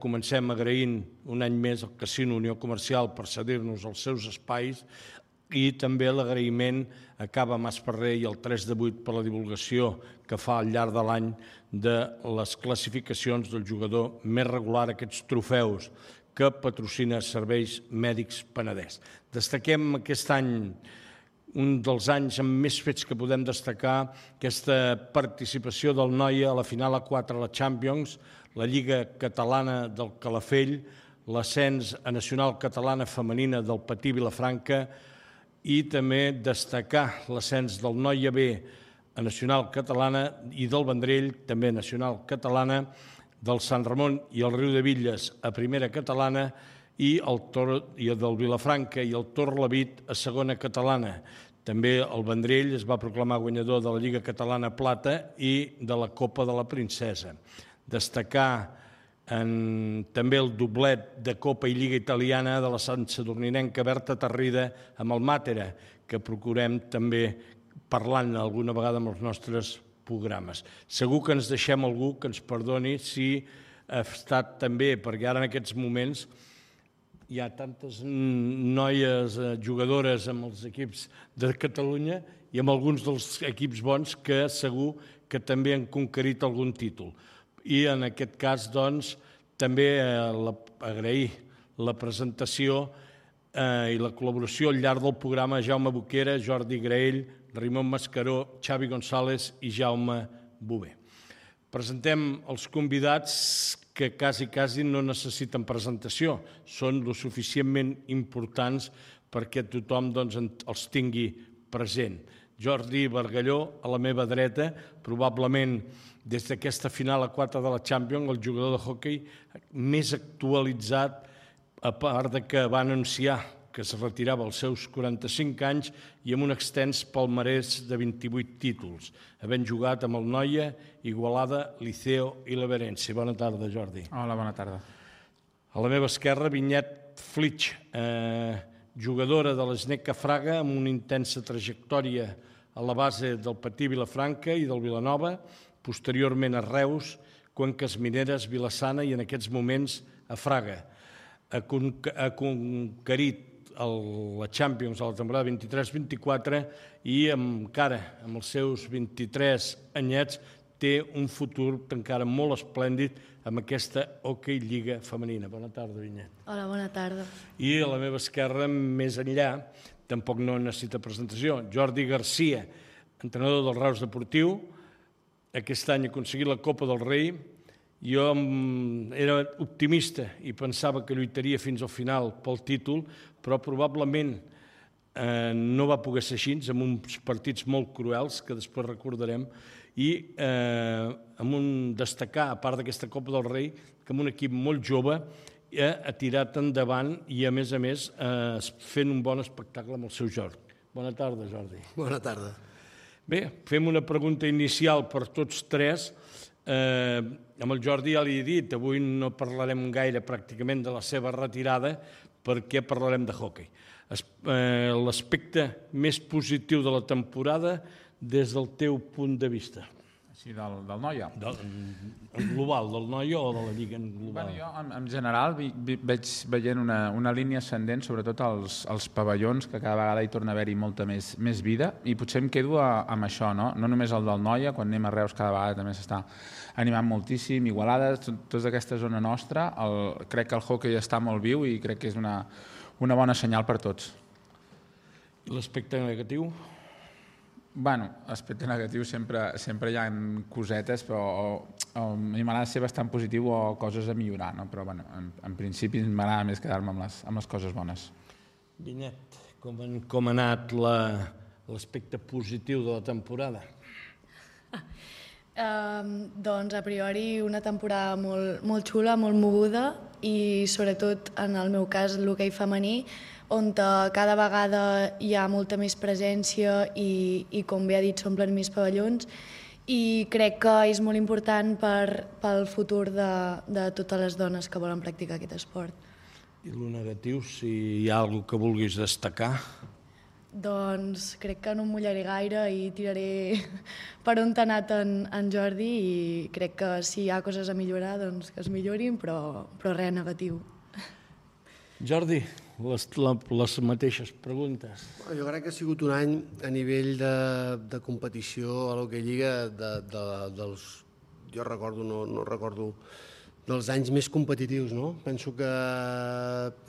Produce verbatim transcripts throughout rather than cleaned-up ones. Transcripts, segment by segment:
Comencem agraint un any més al Casino Unió Comercial per cedir-nos els seus espais i també l'agraïment a Cava Masferrer i el tres de vuit per la divulgació que fa al llarg de l'any de les classificacions del jugador més regular, aquests trofeus que patrocina Serveis Mèdics Penedès. Destaquem aquest any un dels anys amb més fets que podem destacar, aquesta participació del Noia a la final a quatre a la Champions, la Lliga Catalana del Calafell, l'ascens a Nacional Catalana Femenina del Patí Vilafranca i també destacar l'ascens del Noia B a Nacional Catalana i del Vendrell, també Nacional Catalana, del Sant Ramon i el Riu de Villes a Primera Catalana i el del Vilafranca i el Torlavit a Segona Catalana. També el Vendrell es va proclamar guanyador de la Lliga Catalana Plata i de la Copa de la Princesa. Destacar també el doblet de Copa i Lliga Italiana de la Sant Sadurninenca Berta Tarrida amb el Màtera, que procurem també parlar-ne alguna vegada amb els nostres programes. Segur que ens deixem algú que ens perdoni si ha estat també, perquè ara en aquests moments hi ha tantes noies jugadores amb els equips de Catalunya i amb alguns dels equips bons que segur que també han conquerit algun títol. I en aquest cas, doncs, també agrair la presentació i la col·laboració al llarg del programa a Jaume Boquera, Jordi Graell, Ramon Mascaró, Xavi González i Jaume Bové. Presentem els convidats que quasi, quasi no necessiten presentació. Són lo suficientment importants perquè tothom els tingui present. Jordi Bargalló, a la meva dreta, probablement des d'aquesta final a quatre de la Champions, el jugador de hoquei més actualitzat, a part que va anunciar que es retirava als seus quaranta-cinc anys i amb un extens palmarès de vint-i-vuit títols, havent jugat amb el Noia, Igualada, Liceo i l'Eberense. Bona tarda, Jordi. Hola, bona tarda. A la meva esquerra, Vinyet Flitsch, jugadora de l'Sneca Fraga amb una intensa trajectòria a la base del Patí Vilafranca i del Vilanova, posteriorment a Reus, Cuenques Mineres, Vilassana i en aquests moments a Fraga. Ha conquerit la Champions a la temporada vint-i-tres vint-i-quatre i encara amb els seus vint-i-tres anyets té un futur encara molt esplèndid amb aquesta Hockey Lliga Femenina. Bona tarda, Vinyet. Hola, bona tarda. I a la meva esquerra, més enllà, tampoc no necessita presentació, Jordi Garcia, entrenador del Reus Deportiu, aquest any ha aconseguit la Copa del Rei. Jo era optimista i pensava que lluitaria fins al final pel títol, però probablement no va poder ser així, amb uns partits molt cruels, que després recordarem, i amb un destacar, a part d'aquesta Copa del Rei, que amb un equip molt jove ha tirat endavant i, a més a més, fent un bon espectacle amb el seu Jordi. Bona tarda, Jordi. Bona tarda. Bé, fem una pregunta inicial per tots tres. Amb el Jordi ja li he dit, avui no parlarem gaire pràcticament de la seva retirada perquè parlarem de hoquei. L'aspecte més positiu de la temporada des del teu punt de vista. Així, del Noia? En global, del Noia o de la Lliga en global? Jo, en general, veig veient una línia ascendent, sobretot als pavellons, que cada vegada hi torna a haver-hi molta més vida, i potser em quedo amb això, no només el del Noia, quan anem a Reus cada vegada també s'està animant moltíssim, Igualada, tota aquesta zona nostra, crec que el hoquei està molt viu i crec que és una bona senyal per tots. I l'aspecte negatiu? Bueno, aspecte negatiu sempre hi ha cosetes, però a mi m'agrada ser bastant positiu o coses a millorar, però en principi m'agrada més quedar-me amb les coses bones. Vinyet, com ha anat l'aspecte positiu de la temporada? Doncs a priori una temporada molt xula, molt moguda i sobretot en el meu cas l'hoquei femení, on cada vegada hi ha molta més presència i, com bé ha dit, s'omplen més pavellons i crec que és molt important pel futur de totes les dones que volen practicar aquest esport. I el negatiu, si hi ha alguna cosa que vulguis destacar? Doncs crec que no em mullaré gaire i tiraré per on t'ha anat en, en Jordi i crec que si hi ha coses a millorar, doncs que es millorin, però, però res negatiu. Jordi, les, la, les mateixes preguntes. Jo crec que ha sigut un any a nivell de, de competició a l'Hockey Lliga de, de, dels, jo recordo, no, no recordo, dels anys més competitius, no? Penso que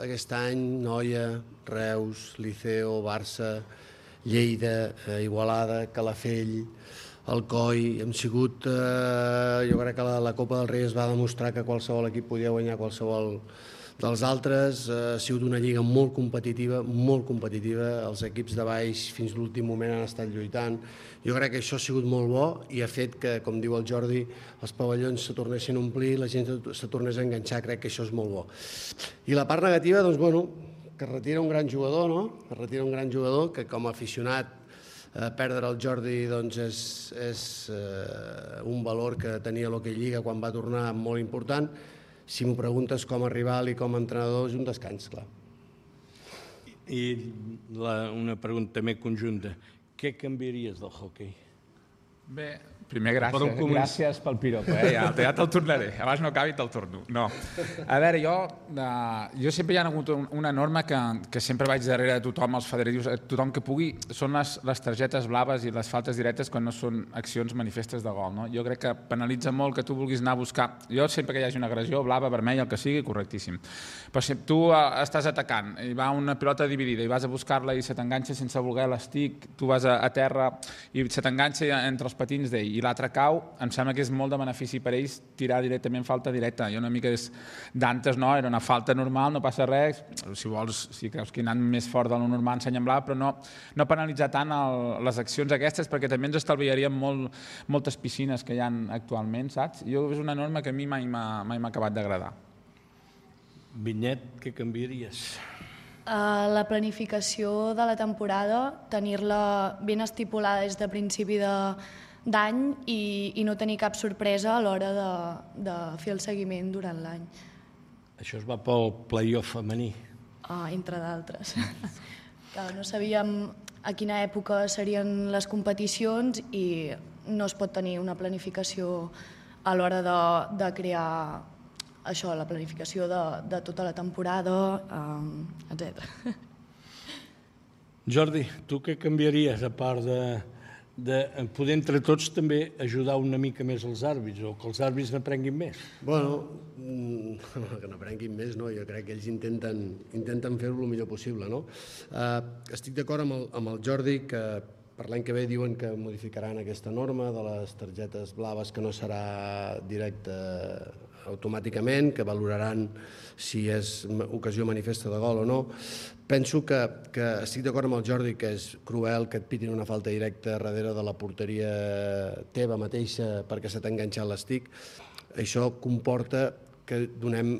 aquest any Noia, Reus, Liceo, Barça, Lleida, eh, Igualada, Calafell, Alcoi, hem sigut, eh, jo crec que la, la Copa del Rei es va demostrar que qualsevol equip podia guanyar qualsevol dels altres, eh, ha sigut una lliga molt competitiva, molt competitiva, els equips de baix fins l'últim moment han estat lluitant. Jo crec que això ha sigut molt bo i ha fet que, com diu el Jordi, els pavellons se tornessin a omplir, la gent se tornés a enganxar, crec que això és molt bo. I la part negativa, doncs, bueno, que es retira un gran jugador, no? Es retira un gran jugador que com a aficionat eh, perdre el Jordi doncs, és, és eh, un valor que tenia l'Hockey Lliga quan va tornar molt important. Si m'ho preguntes com a rival i com a entrenador, és un descans, clar. I la, una pregunta també conjunta. Què canviaries del hoquei? Bé, primer gràcies, gràcies pel piropo, eh? ja, ja te'l tornaré, abans no acabi te'l torno. No. A veure, jo, uh, jo sempre hi ha hagut una norma que, que sempre vaig darrere de tothom, els federatius, tothom que pugui, són les, les targetes blaves i les faltes directes quan no són accions manifestes de gol. No? Jo crec que penalitza molt que tu vulguis anar a buscar, jo sempre que hi hagi una agressió, blava, vermella, el que sigui, correctíssim. Però si tu uh, estàs atacant i va una pilota dividida i vas a buscar-la i se t'enganxa sense voler l'estic, tu vas a, a terra i se t'enganxa entre els patins d'ell i l'altre cau, em sembla que és molt de benefici per ells tirar directament falta directa. Jo una mica d'antes no, era una falta normal, no passa res, si vols, si creus que he anat més fort de lo normal ensenya'm blau, però no, no penalitzar tant el, les accions aquestes perquè també ens estalviaríem molt, moltes piscines que hi ha actualment, saps? Jo és una norma que a mi mai m'ha acabat d'agradar. Vinyet, què canviaries? Uh, la planificació de la temporada, tenir-la ben estipulada des de principi d'any i, i no tenir cap sorpresa a l'hora de, de fer el seguiment durant l'any. Això es va pel play-off femení. Uh, entre d'altres. No sabíem a quina època serien les competicions i no es pot tenir una planificació a l'hora de, de crear això, la planificació de, de tota la temporada, um, etcètera. Jordi, tu què canviaries a part de, de poder entre tots també ajudar una mica més els àrbits o que els àrbits n'aprenguin més? Bueno, que n'aprenguin més, no? Jo crec que ells intenten, intenten fer-ho el millor possible, no? Uh, estic d'acord amb, el, amb el Jordi que per l'any que ve diuen que modificaran aquesta norma de les targetes blaves que no serà directe automàticament, que valoraran si és ocasió manifesta de gol o no. Penso que, que estic d'acord amb el Jordi que és cruel que et pitin una falta directa darrere de la porteria teva mateixa perquè se t'ha enganxat l'estic. Això comporta que donem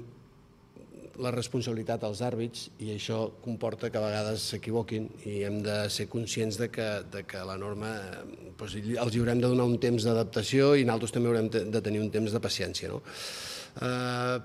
la responsabilitat als àrbits i això comporta que a vegades s'equivoquin i hem de ser conscients de que, de que la norma doncs, els haurem de donar un temps d'adaptació i nosaltres també haurem de tenir un temps de paciència. No? Eh,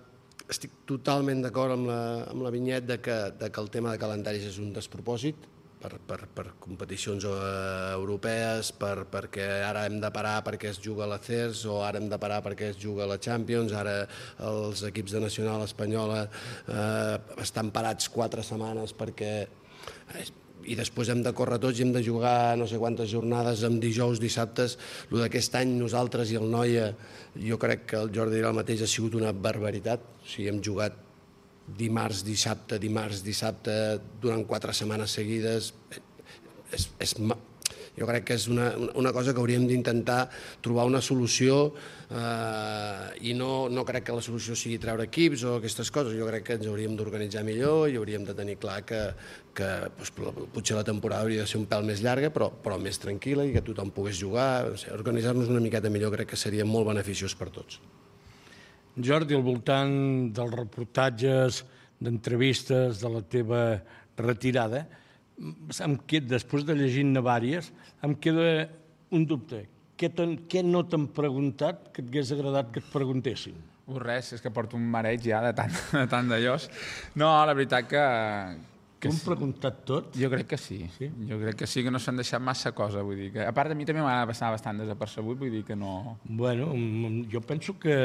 estic totalment d'acord amb, la, amb la Vinyet de que, de que el tema de calendaris és un despropòsit per, per, per competicions europees, per, perquè ara hem de parar perquè es juga a l'A C E R S o ara hem de parar perquè es juga a la Champions, ara els equips de nacional espanyola eh, estan parats quatre setmanes perquè... Eh, i després hem de córrer tots i hem de jugar no sé quantes jornades amb dijous, dissabtes. El d'aquest any nosaltres i el Noia, jo crec que el Jordi dirà el mateix, ha sigut una barbaritat. O sigui, hem jugat dimarts, dissabte, dimarts, dissabte, durant quatre setmanes seguides. És, és, jo crec que és una, una cosa que hauríem d'intentar trobar una solució eh, i no, no crec que la solució sigui treure equips o aquestes coses. Jo crec que ens hauríem d'organitzar millor i hauríem de tenir clar que, que doncs, potser la temporada hauria de ser un pèl més llarga però, però més tranquil·la i que tothom pogués jugar. No sé, organitzar-nos una miqueta millor crec que seria molt beneficiós per tots. Jordi, al voltant dels reportatges, d'entrevistes, de la teva retirada, em queda, després de llegir-ne vàries, em queda un dubte. Què, què no t'han preguntat que et hagués agradat que et preguntessin? Uh, res, és que porto un mareig ja de tant, de tant d'allòs. No, la veritat que, Tu hem preguntat tot? Jo crec que sí. sí. Jo crec que sí, que no s'han deixat massa cosa. Vull dir que, a part de mi també m'ha passat bastant desapercebut, vull dir que no... Bueno, jo penso que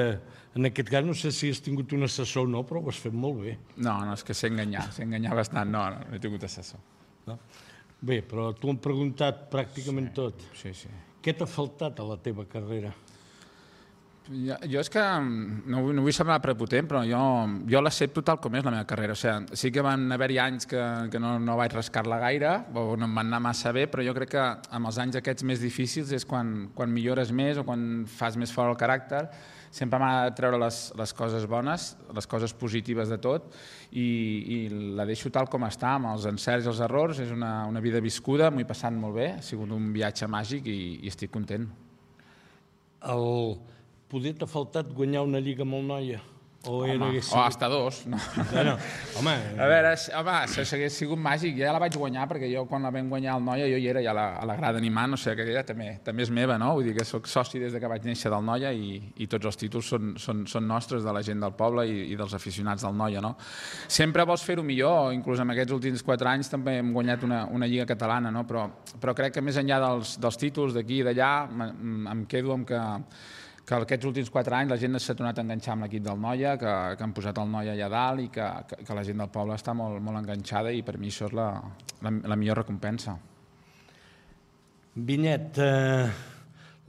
en aquest cas no sé si has tingut un assessor o no, però ho has fet molt bé. No, no, és que sé enganyar, sé enganyar bastant. No, no, no he tingut assessor. No? Bé, però tu hem preguntat pràcticament sí, tot. Sí, sí. Què t'ha faltat a la teva carrera? Jo, jo és que no, no vull semblar prepotent, però jo, jo l'accepto tal com és la meva carrera. O sigui, sí que van haver-hi anys que, que no, no vaig rascar-la gaire, o no em van anar massa bé, però jo crec que amb els anys aquests més difícils és quan, quan millores més o quan fas més fort el caràcter. Sempre m'ha de treure les, les coses bones, les coses positives de tot, i, i la deixo tal com està, amb els encerts i els errors. És una, una vida viscuda, m'ho he passat molt bé, ha sigut un viatge màgic i, i estic content. El... Poder t'ha faltat guanyar una lliga amb el Noia? O, home, era o hasta dos. No. Bueno, home... A veure, home, això hagués sigut màgic. Ja la vaig guanyar, perquè jo quan la vam guanyar al Noia jo hi era ja a la, a la grada animant, o sigui que aquella també, també és meva, no? Vull dir que soc soci des de que vaig néixer del Noia i, i tots els títols són, són, són nostres, de la gent del poble i, i dels aficionats del Noia, no? Sempre vols fer-ho millor, inclús en aquests últims quatre anys també hem guanyat una, una lliga catalana, no? Però, però crec que més enllà dels, dels títols d'aquí i d'allà em quedo amb que que aquests últims quatre anys la gent s'ha tornat a enganxar amb l'equip del Noia, que, que han posat el Noia allà dalt i que, que, que la gent del poble està molt, molt enganxada i per mi això és la, la, la millor recompensa. Vinyet, eh,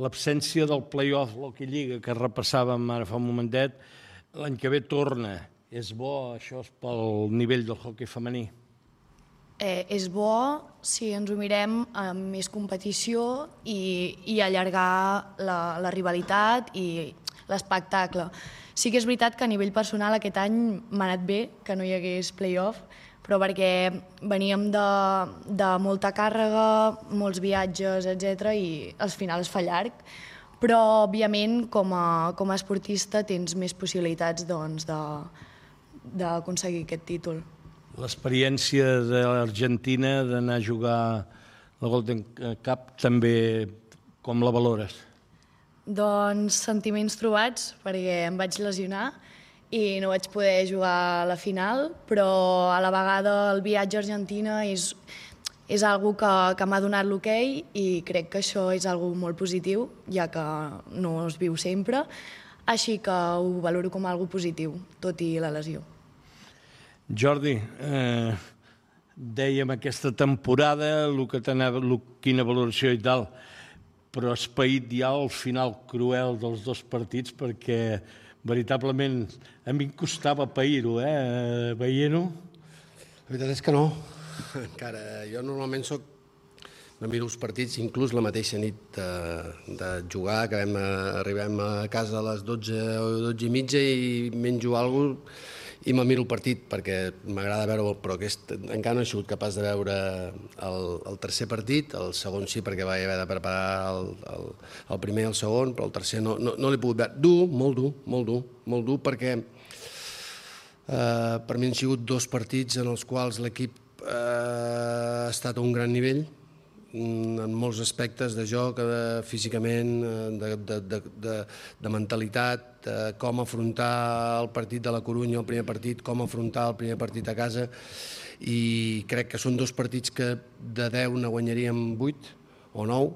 l'absència del play-off, l'Hockey Lliga, que repassàvem ara fa un momentet, l'any que ve torna. És bo, això, és pel nivell del hoquei femení? Eh, és bo si ens ho mirem amb més competició i, i allargar la, la rivalitat i l'espectacle. Sí que és veritat que a nivell personal aquest any m'ha anat bé que no hi hagués play-off, però perquè veníem de, de molta càrrega, molts viatges, etcètera, i al final es fa llarg. Però, òbviament, com a, com a esportista tens més possibilitats doncs, de, d'aconseguir aquest títol. L'experiència de l'Argentina d'anar a jugar la Golden Cup també com la valores? Doncs sentiments trobats, perquè em vaig lesionar i no vaig poder jugar a la final, però a la vegada el viatge a Argentina és, és algo que, que m'ha donat l'hoquei i crec que això és algo molt positiu, ja que no es viu sempre, així que ho valoro com algo positiu, tot i la lesió. Jordi, eh, dèiem aquesta temporada, el que t'anava, el, quina valoració i tal, però has paït ja el final cruel dels dos partits perquè veritablement a mi em costava pair-ho, eh, veient-ho. La veritat és que no. Encara, jo normalment soc no miro els partits, inclús la mateixa nit de, de jugar, que vam, arribem a casa a les dotze o dotze i mitja i menjo alguna cosa i me miro el partit perquè m'agrada veure-ho, però aquest, encara no he sigut capaç de veure el, el tercer partit, el segon sí perquè vaig haver de preparar el, el, el primer i el segon, però el tercer no, no, no l'he pogut veure. Dur, molt dur, molt dur, molt dur perquè eh, per mi han sigut dos partits en els quals l'equip eh, ha estat a un gran nivell, en molts aspectes de joc, de, físicament, de, de, de, de, de mentalitat, de com afrontar el partit de la Corunya, el primer partit, com afrontar el primer partit a casa, i crec que són dos partits que de deu ne guanyaríem vuit o nou,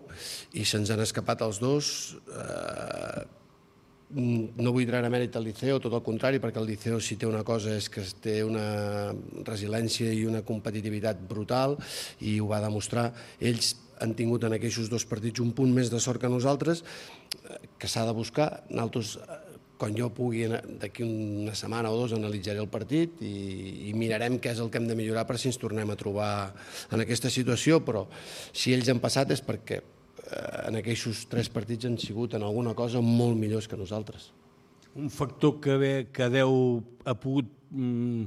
i se'ns han escapat els dos. Eh, no vull treure mèrit al Liceo, tot el contrari, perquè el Liceo si té una cosa és que té una resiliència i una competitivitat brutal i ho va demostrar. Ells han tingut en aquests dos partits un punt més de sort que nosaltres, que s'ha de buscar. Nosaltres, quan jo pugui, d'aquí una setmana o dos, analitzaré el partit i, i mirarem què és el que hem de millorar per si ens tornem a trobar en aquesta situació, però si ells han passat és perquè en aquests tres partits han sigut en alguna cosa molt millors que nosaltres. Un factor que, ve, que deu ha pogut mm,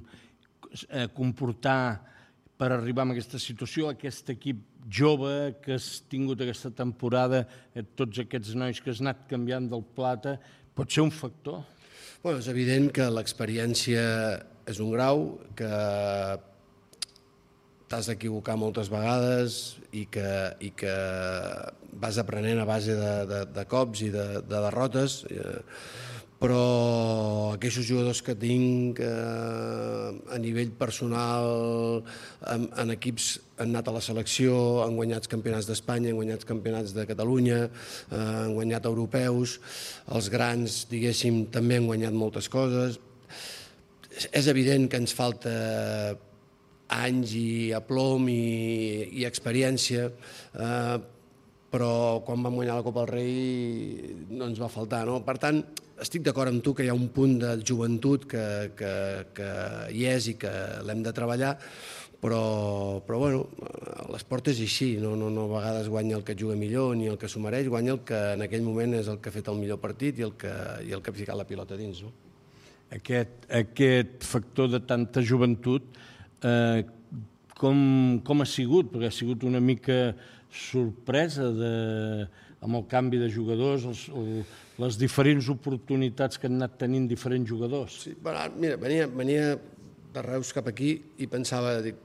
comportar per arribar a aquesta situació, aquest equip jove que has tingut aquesta temporada, tots aquests nois que has anat canviant del plata, pot ser un factor? Bueno, és evident que l'experiència és un grau, que t'has d'equivocar moltes vegades i que, i que vas aprenent a base de, de, de cops i de, de derrotes, però aquests jugadors que tinc eh, a nivell personal, en, en equips han anat a la selecció, han guanyat campionats d'Espanya, han guanyat campionats de Catalunya, eh, han guanyat europeus, els grans, diguéssim, també han guanyat moltes coses. És evident que ens falta anys i aplom i, i experiència, eh, però quan vam guanyar la Copa del Rei no ens va faltar, no? Per tant, estic d'acord amb tu que hi ha un punt de joventut que, que, que hi és i que l'hem de treballar, però, però bueno, l'esport és així, no, no, no a vegades guanya el que juga millor ni el que s'ho mereix, guanya el que en aquell moment és el que ha fet el millor partit i el que, i el que ha ficat la pilota dins, no? Aquest, aquest factor de tanta joventut, eh, com, com ha sigut? Perquè ha sigut una mica sorpresa de, amb el canvi de jugadors, els, el, les diferents oportunitats que han anat tenint diferents jugadors. Sí, bueno, mira, venia, venia de Reus cap aquí i pensava dic,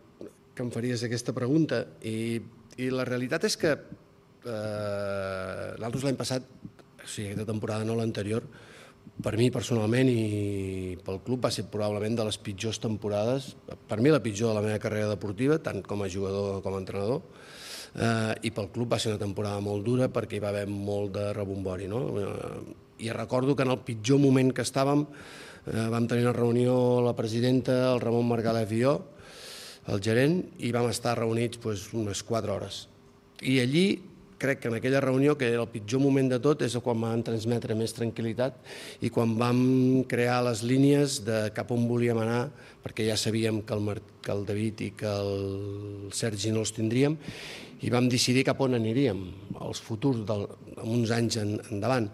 que em faries aquesta pregunta i, i la realitat és que eh, l'altre l'any passat, o sigui, aquesta temporada no l'anterior, per mi personalment i pel club va ser probablement de les pitjors temporades, per mi la pitjor de la meva carrera deportiva, tant com a jugador com a entrenador, eh, i pel club va ser una temporada molt dura perquè hi va haver molt de rebombori, no? I recordo que en el pitjor moment que estàvem eh, vam tenir una reunió la presidenta, el Ramon Margalef i jo, el gerent, i vam estar reunits pues, unes quatre hores. I allí crec que en aquella reunió, que era el pitjor moment de tot, és quan vam transmetre més tranquil·litat i quan vam crear les línies de cap on volíem anar, perquè ja sabíem que el, Mar que el David i que el Sergi no els tindríem, i vam decidir cap on aniríem, els futurs, del, en uns anys en, endavant.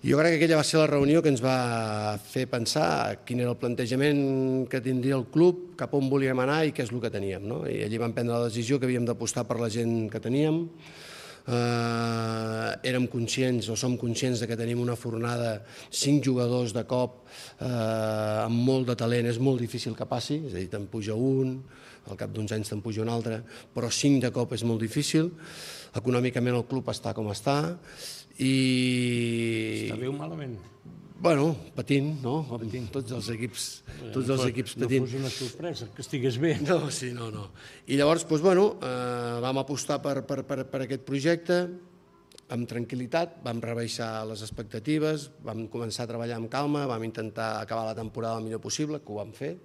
I jo crec que aquella va ser la reunió que ens va fer pensar quin era el plantejament que tindria el club, cap on volíem anar i què és el que teníem, no? I allí vam prendre la decisió que havíem d'apostar per la gent que teníem. Uh, érem conscients o som conscients de que tenim una fornada, cinc jugadors de cop uh, amb molt de talent, és molt difícil que passi, és a dir, te'n puja un, al cap d'uns anys te'n puja un altre, però cinc de cop és molt difícil. Econòmicament el club està com està i... Està bé o malament? Bueno, patint, no? Patint. Tots els equips, tots els equips patint. No fos una sorpresa, que estigués bé. No, sí, no, no. I llavors, doncs, bueno, eh, vam apostar per, per, per, per aquest projecte amb tranquil·litat, vam rebaixar les expectatives, vam començar a treballar amb calma, vam intentar acabar la temporada el millor possible, que ho vam fer,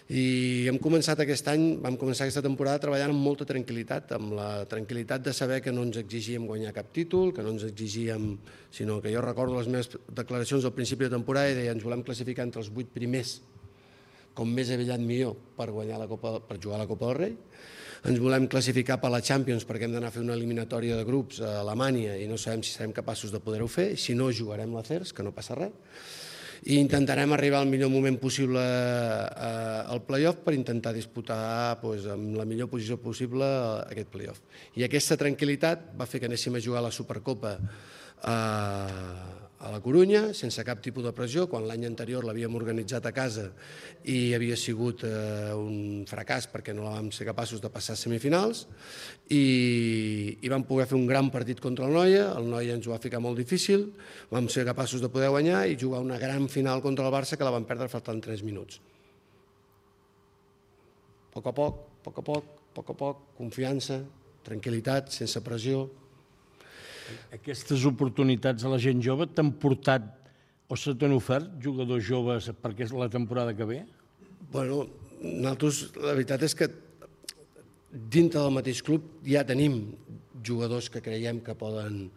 i hem començat aquest any, vam començar aquesta temporada treballant amb molta tranquil·litat, amb la tranquil·litat de saber que no ens exigíem guanyar cap títol, que no ens exigíem, sinó que jo recordo les meves declaracions al principi de temporada i deia ens volem classificar entre els vuit primers, com més avellat millor, per, guanyar la Copa, per jugar a la Copa del Rei. Ens volem classificar per la Champions perquè hem d'anar a fer una eliminatòria de grups a Alemanya i no sabem si serem capaços de poder-ho fer, si no jugarem la C E R S, que no passa res. I intentarem arribar al millor moment possible al play-off per intentar disputar doncs, amb la millor posició possible aquest play-off. I aquesta tranquil·litat va fer que anéssim a jugar a la Supercopa a, a la Corunya, sense cap tipus de pressió, quan l'any anterior l'havíem organitzat a casa i havia sigut eh, un fracàs perquè no la vam ser capaços de passar a semifinals i, i vam poder fer un gran partit contra el Noia, el Noia ens ho va ficar molt difícil, vam ser capaços de poder guanyar i jugar una gran final contra el Barça que la vam perdre faltant tres minuts. A poc a poc, a poc a poc, a poc a poc, confiança, tranquil·litat, sense pressió. Aquestes oportunitats a la gent jove t'han portat o se t'han ofert jugadors joves perquè és la temporada que ve? Bueno, nosaltres, la veritat és que dintre del mateix club ja tenim jugadors que creiem que poden,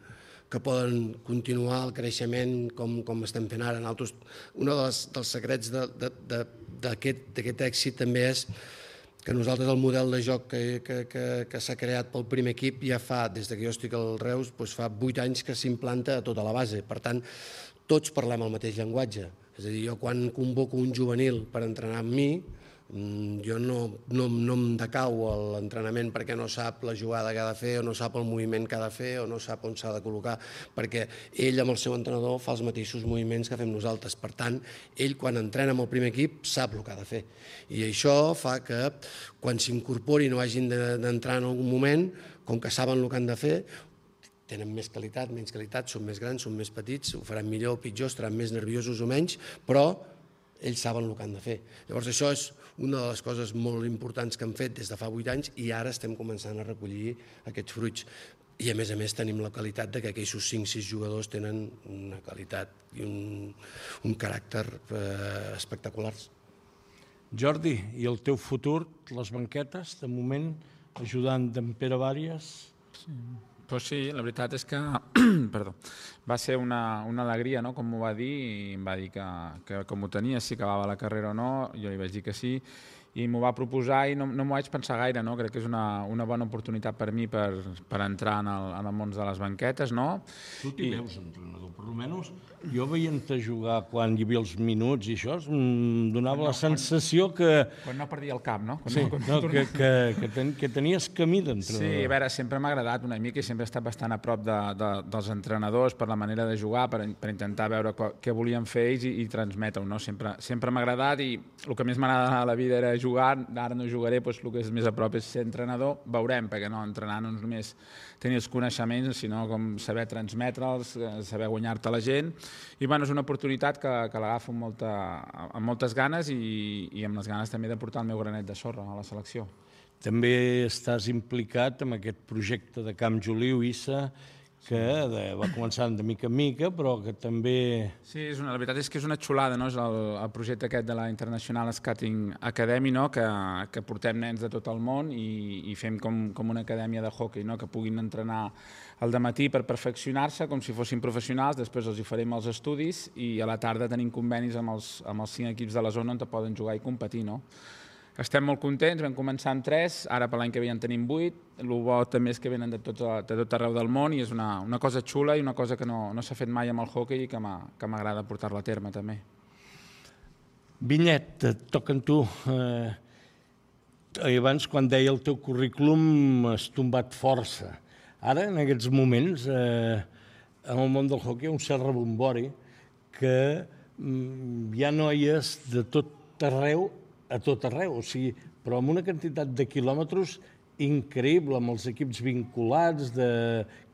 que poden continuar el creixement com, com estem fent ara. Nosaltres, un dels, dels secrets d'aquest èxit també és que nosaltres el model de joc que, que, que, que s'ha creat pel primer equip ja fa, des que jo estic al Reus, doncs fa vuit anys que s'implanta a tota la base. Per tant, tots parlem el mateix llenguatge. És a dir, jo quan convoco un juvenil per entrenar amb mi, jo no, no, no em decau l'entrenament perquè no sap la jugada que ha de fer o no sap el moviment que ha de fer o no sap on s'ha de col·locar, perquè ell amb el seu entrenador fa els mateixos moviments que fem nosaltres. Per tant, ell quan entrena amb el primer equip sap el que ha de fer. I això fa que quan s'incorporin o hagin d'entrar en algun moment, com que saben el que han de fer, tenen més qualitat, menys qualitat, són més grans, són més petits, ho faran millor o pitjor, estaran més nerviosos o menys, però ells saben el que han de fer. Llavors això és una de les coses molt importants que han fet des de fa vuit anys i ara estem començant a recollir aquests fruits. I a més a més tenim la qualitat de que aquells cinc sis jugadors tenen una qualitat i un, un caràcter eh, espectaculars. Jordi, i el teu futur, les banquetes, de moment, ajudant d'en Pere Vàries? Sí. Pues sí, la veritat és que perdó, va ser una, una alegria, no?, com m'ho va dir, i em va dir que, que com ho tenia, si acabava la carrera o no, jo li vaig dir que sí, i m'ho va proposar i no, no m'ho vaig pensar gaire, no? Crec que és una, una bona oportunitat per mi per, per entrar en el, en el món de les banquetes, no? Tu t'hi veus, entrenador, per almenys jo veient-te jugar quan hi havia els minuts i això, em donava no, la sensació quan, que... Quan no perdia el cap, no? Quan sí, no, quan no, que, que, que, ten, que tenies camí d'entrenador. Sí, a veure, sempre m'ha agradat una mica i sempre he estat bastant a prop de, de, dels entrenadors per la manera de jugar, per, per intentar veure què volien fer ells i, i transmetre-ho, no? Sempre, sempre m'ha agradat i el que més m'agrada a la vida era jugar, ara no jugaré, doncs el que és més a prop és ser entrenador, veurem, perquè no, entrenar no és només tenir els coneixements, sinó com saber transmetre'ls, saber guanyar-te la gent, i bueno, és una oportunitat que, que l'agafo amb, molta, amb moltes ganes i, i amb les ganes també de portar el meu granet de sorra a la selecció. També estàs implicat en aquest projecte de Camp Joliu, Issa, que de, va començant de mica en mica, però que també... Sí, és una, la veritat és que és una xulada, no? És el, el projecte aquest de la International Skating Academy, no? que, que portem nens de tot el món i, i fem com, com una acadèmia de hockey, no? Que puguin entrenar al dematí per perfeccionar-se com si fossin professionals, després els hi farem els estudis i a la tarda tenim convenis amb els, amb els cinc equips de la zona on poden jugar i competir, no? Estem molt contents, vam començar amb tres, ara per l'any que ve en tenim vuit, el bo també és que venen de tot, de tot arreu del món i és una, una cosa xula i una cosa que no, no s'ha fet mai amb el hockey i que m'agrada portar-la a terme també. Vinyet, et toca amb tu. Eh, abans, quan deia el teu currículum, has tombat força. Ara, en aquests moments, eh, en el món del hockey hi ha un cert rebombori que mm, hi ha noies de tot arreu a tot arreu, o sigui, però amb una quantitat de quilòmetres increïble, amb els equips vinculats de,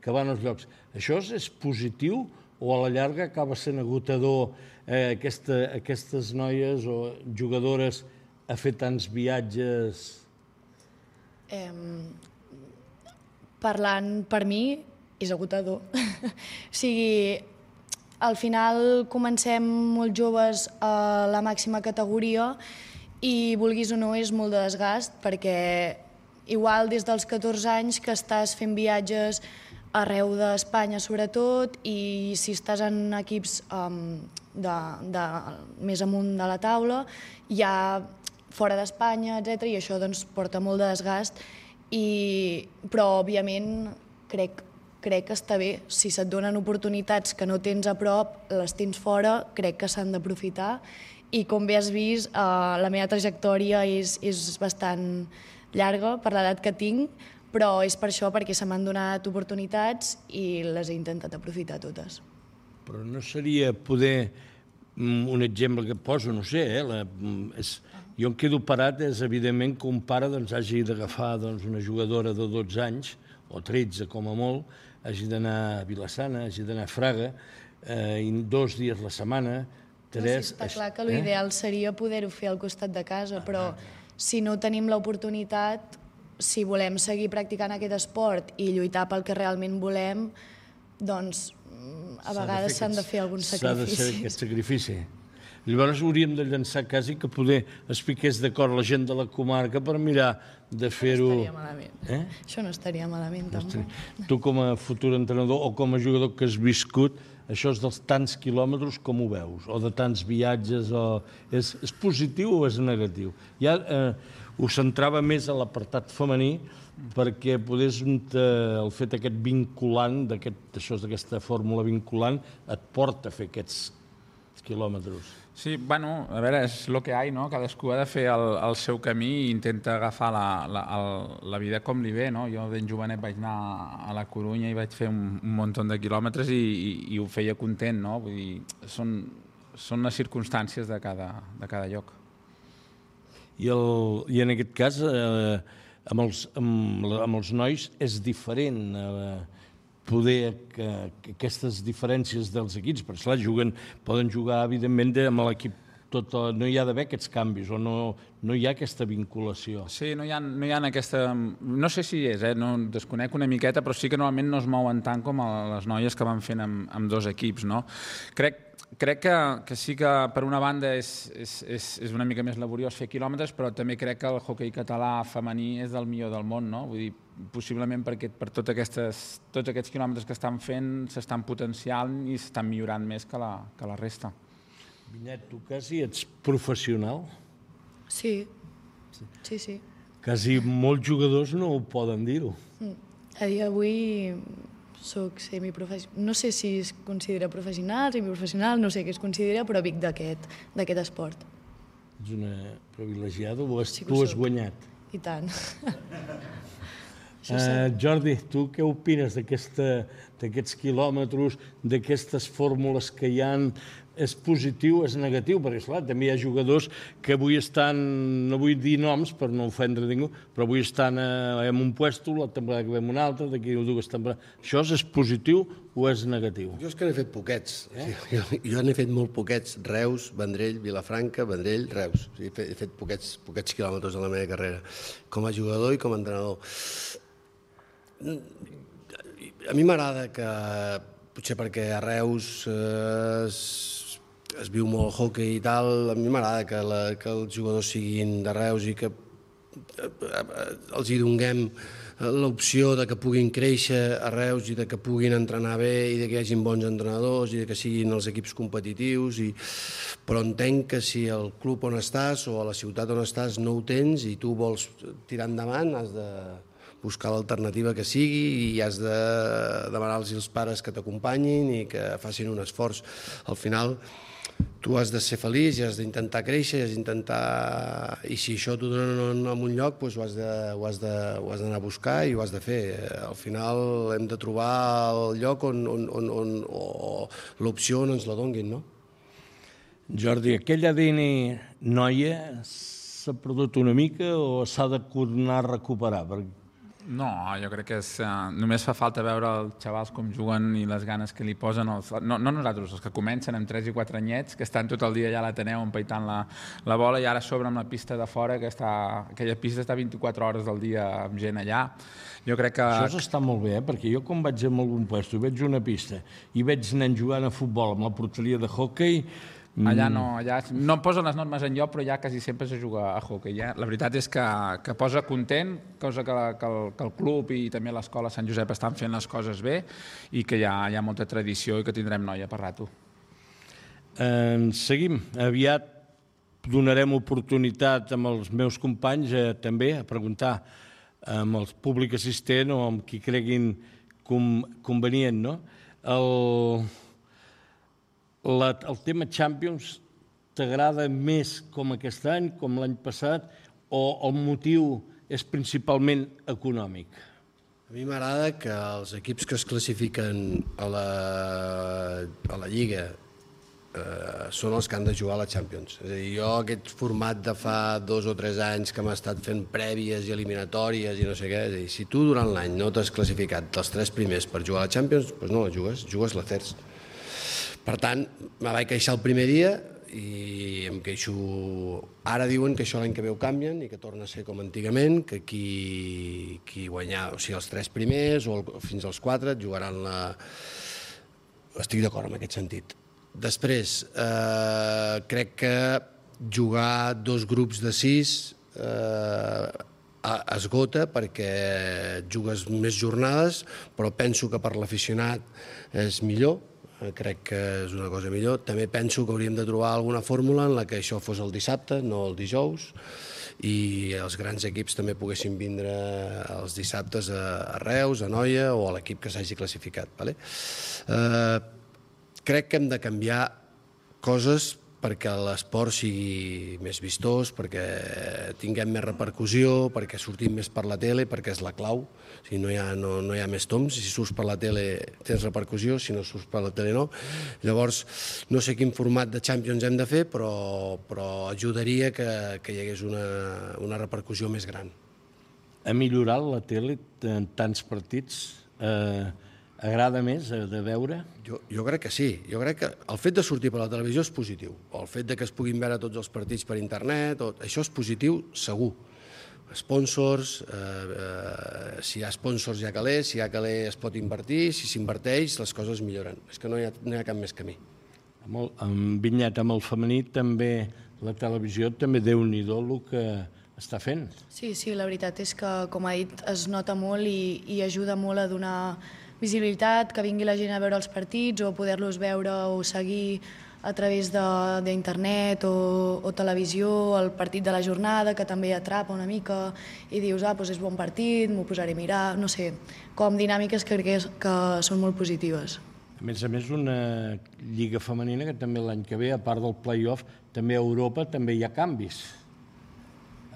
que van als llocs. Això és positiu o a la llarga acaba sent agotador eh, aquesta, aquestes noies o jugadores a fer tants viatges? Eh, parlant per mi, és agotador. O sigui, al final comencem molt joves a la màxima categoria i vulguis o no és molt de desgast perquè igual des dels catorze anys que estàs fent viatges arreu d'Espanya sobretot i si estàs en equips um, de, de, més amunt de la taula ja fora d'Espanya, etcètera, i això doncs, porta molt de desgast, i, però òbviament crec, crec que està bé. Si se't donen oportunitats que no tens a prop, les tens fora, crec que s'han d'aprofitar. I com bé has vist, eh, la meva trajectòria és, és bastant llarga per l'edat que tinc, però és per això, perquè se m'han donat oportunitats i les he intentat aprofitar totes. Però no seria poder, un exemple que poso, no sé, eh, la, és, jo em quedo parat, és evidentment que un pare doncs, hagi d'agafar doncs, una jugadora de dotze anys, o tretze com a molt, hagi d'anar a Vilassana, hagi d'anar a Fraga, eh, dos dies la setmana, tres... Sí, està clar que l'ideal eh? seria poder-ho fer al costat de casa, però si no tenim l'oportunitat, si volem seguir practicant aquest esport i lluitar pel que realment volem, doncs a vegades s'han de fer alguns sacrificis. S'ha de fer aquest sacrifici. Llavors hauríem de llançar quasi que poder es piqués d'acord la gent de la comarca per mirar de fer-ho... Això no estaria malament. Eh? Això no estaria malament, tampoc. Tu com a futur entrenador o com a jugador que has viscut, això és dels tants quilòmetres com ho veus, o de tants viatges, o... és, és positiu o és negatiu? Ja eh, ho centrava més a l'apartat femení perquè podés, el fet aquest vinculant, d'aquesta fórmula vinculant, et porta a fer aquests quilòmetres. Sí, bueno, a veure, és el que hi ha, no? Cadascú ha de fer el, el seu camí i intenta agafar la, la, el, la vida com li ve, no? Jo ben jovenet vaig anar a la Corunya i vaig fer un, un munt de quilòmetres i, i, i ho feia content, no? Vull dir, són, són les circumstàncies de cada, de cada lloc. I, el, i en aquest cas, eh, amb, els, amb, amb els nois és diferent eh, poder que, que aquestes diferències dels equips, perquè clar, juguen, poden jugar evidentment de, amb l'equip tot, no hi ha d'haver aquests canvis o no, no hi ha aquesta vinculació. Sí, no hi ha, no hi ha aquesta... No sé si és, eh? No, desconec una miqueta, però sí que normalment no es mouen tant com les noies que van fent amb, amb dos equips, no? Crec, crec que, que sí que per una banda és, és, és, és una mica més laboriós fer quilòmetres, però també crec que el hoquei català femení és del millor del món, no? Vull dir, possiblement perquè per tot aquestes, tots aquests quilòmetres que estan fent s'estan potenciant i s'estan millorant més que la, que la resta. Vinyet, tu quasi ets professional? Sí, sí, sí. Quasi molts jugadors no ho poden dir-ho. A dia d'avui soc semiprofessional. No sé si es considera professional, semiprofessional, no sé què es considera, però vic d'aquest d'aquest esport. Ets una privilegiada, ho has, Sí que tu ho has soc. guanyat. I tant. Uh, Jordi, tu què opines d'aquests quilòmetres, d'aquestes fórmules que hi ha? És positiu, és negatiu? Perquè, esclar, també hi ha jugadors que avui estan, no vull dir noms per no ofendre ningú, però avui estan en un puesto, la temporada que ve en un altre, d'aquí dues temporades. Això és positiu o és negatiu? Jo és que n'he fet poquets. Eh? Jo, jo n'he fet molt poquets. Reus, Vendrell, Vilafranca, Vendrell, Reus. O sigui, he fet, he fet poquets, poquets quilòmetres en la meva carrera, com a jugador i com a entrenador. A mi m'agrada que, potser perquè a Reus eh, es, es viu molt el hoquei i tal, a mi m'agrada que, la, que els jugadors siguin de Reus i que els hi donguem l'opció de que puguin créixer a Reus i de que puguin entrenar bé i de que hi hagin bons entrenadors i de que siguin els equips competitius. I... Però entenc que si el club on estàs o a la ciutat on estàs no ho tens i tu vols tirar endavant, has de buscar l'alternativa que sigui i has de demanar-los als pares que t'acompanyin i que facin un esforç. Al final, tu has de ser feliç i has d'intentar créixer i has d'intentar... I si això t'ho donen en un lloc, doncs ho has de, ho has de, ho has d'anar a buscar i ho has de fer. Al final hem de trobar el lloc on, on, on, on o l'opció on ens la donguin, no? Jordi, aquell A D N noia s'ha perdut una mica o s'ha de tornar a recuperar? Perquè no, jo crec que és, uh, només fa falta veure els xavals com juguen i les ganes que li posen, els, no, no nosaltres, els que comencen amb tres i quatre anyets, que estan tot el dia allà a l'Ateneu empaitant la, la bola i ara a sobre amb la pista de fora, que està, aquella pista està vint-i-quatre hores del dia amb gent allà. Jo crec que... Això està molt bé, eh? Perquè jo quan vaig a algun lloc i veig una pista i veig nens jugant a futbol amb la porteria de hoquei, allà no, allà no posen les normes en lloc, però ja quasi sempre se juga a hoquei. Ja. La veritat és que, que posa content, cosa que, que, el, que el club i també l'escola Sant Josep estan fent les coses bé i que hi ha, hi ha molta tradició i que tindrem noia per rato. Eh, seguim. Aviat donarem oportunitat amb els meus companys eh, també a preguntar amb el públic assistent o amb qui creguin com, convenient, no? El... La, el tema Champions t'agrada més com aquest any, com l'any passat, o el motiu és principalment econòmic? A mi m'agrada que els equips que es classifiquen a la, a la Lliga eh, són els que han de jugar a la Champions. És a dir, jo aquest format de fa dos o tres anys que m'ha estat fent prèvies i eliminatòries i no sé què, és a dir, si tu durant l'any no t'has classificat dels tres primers per jugar a la Champions, doncs no la jugues, jugues la terç. Per tant, me vaig queixar el primer dia i em queixo... Ara diuen que això l'any que ve ho canvien i que torna a ser com antigament, que qui, qui guanyà, o sigui, els tres primers o el, fins als quatre jugaran la... Estic d'acord en aquest sentit. Després, eh, crec que jugar dos grups de sis eh, esgota perquè jugues més jornades, però penso que per l'aficionat és millor. Crec que és una cosa millor. També penso que hauríem de trobar alguna fórmula en la que això fos el dissabte, no el dijous, i els grans equips també poguessin vindre els dissabtes a Reus, a Noia o a l'equip que s'hagi classificat. Vale? Eh, crec que hem de canviar coses perquè l'esport sigui més vistós, perquè tinguem més repercussió, perquè sortim més per la tele, perquè és la clau. O sigui, no, hi ha, no, no hi ha més toms. Si surts per la tele tens repercussió, si no surts per la tele no. Llavors, no sé quin format de Champions hem de fer, però, però ajudaria que, que hi hagués una, una repercussió més gran. Ha millorat la tele en tants partits? Eh, agrada més de veure? Jo, jo crec que sí. Jo crec que el fet de sortir per la televisió és positiu. O el fet de que es puguin veure tots els partits per internet, o, això és positiu segur. Sponsors, eh, eh, si hi ha sponsors hi ha calés, si hi ha calés es pot invertir, si s'inverteix les coses milloren. És que no hi ha, no hi ha cap més camí. Amb, el, amb Vinyet, amb el femení, també la televisió, també Déu-n'hi-do el que està fent. Sí, sí, la veritat és que, com ha dit, es nota molt i, i ajuda molt a donar visibilitat, que vingui la gent a veure els partits o poder-los veure o seguir a través d'internet o, o televisió, el partit de la jornada, que també atrapa una mica i dius, ah, doncs és bon partit, m'ho posaré a mirar, no sé, com dinàmiques que crec que, que són molt positives. A més a més, una lliga femenina que també l'any que ve, a part del play-off, també a Europa també hi ha canvis.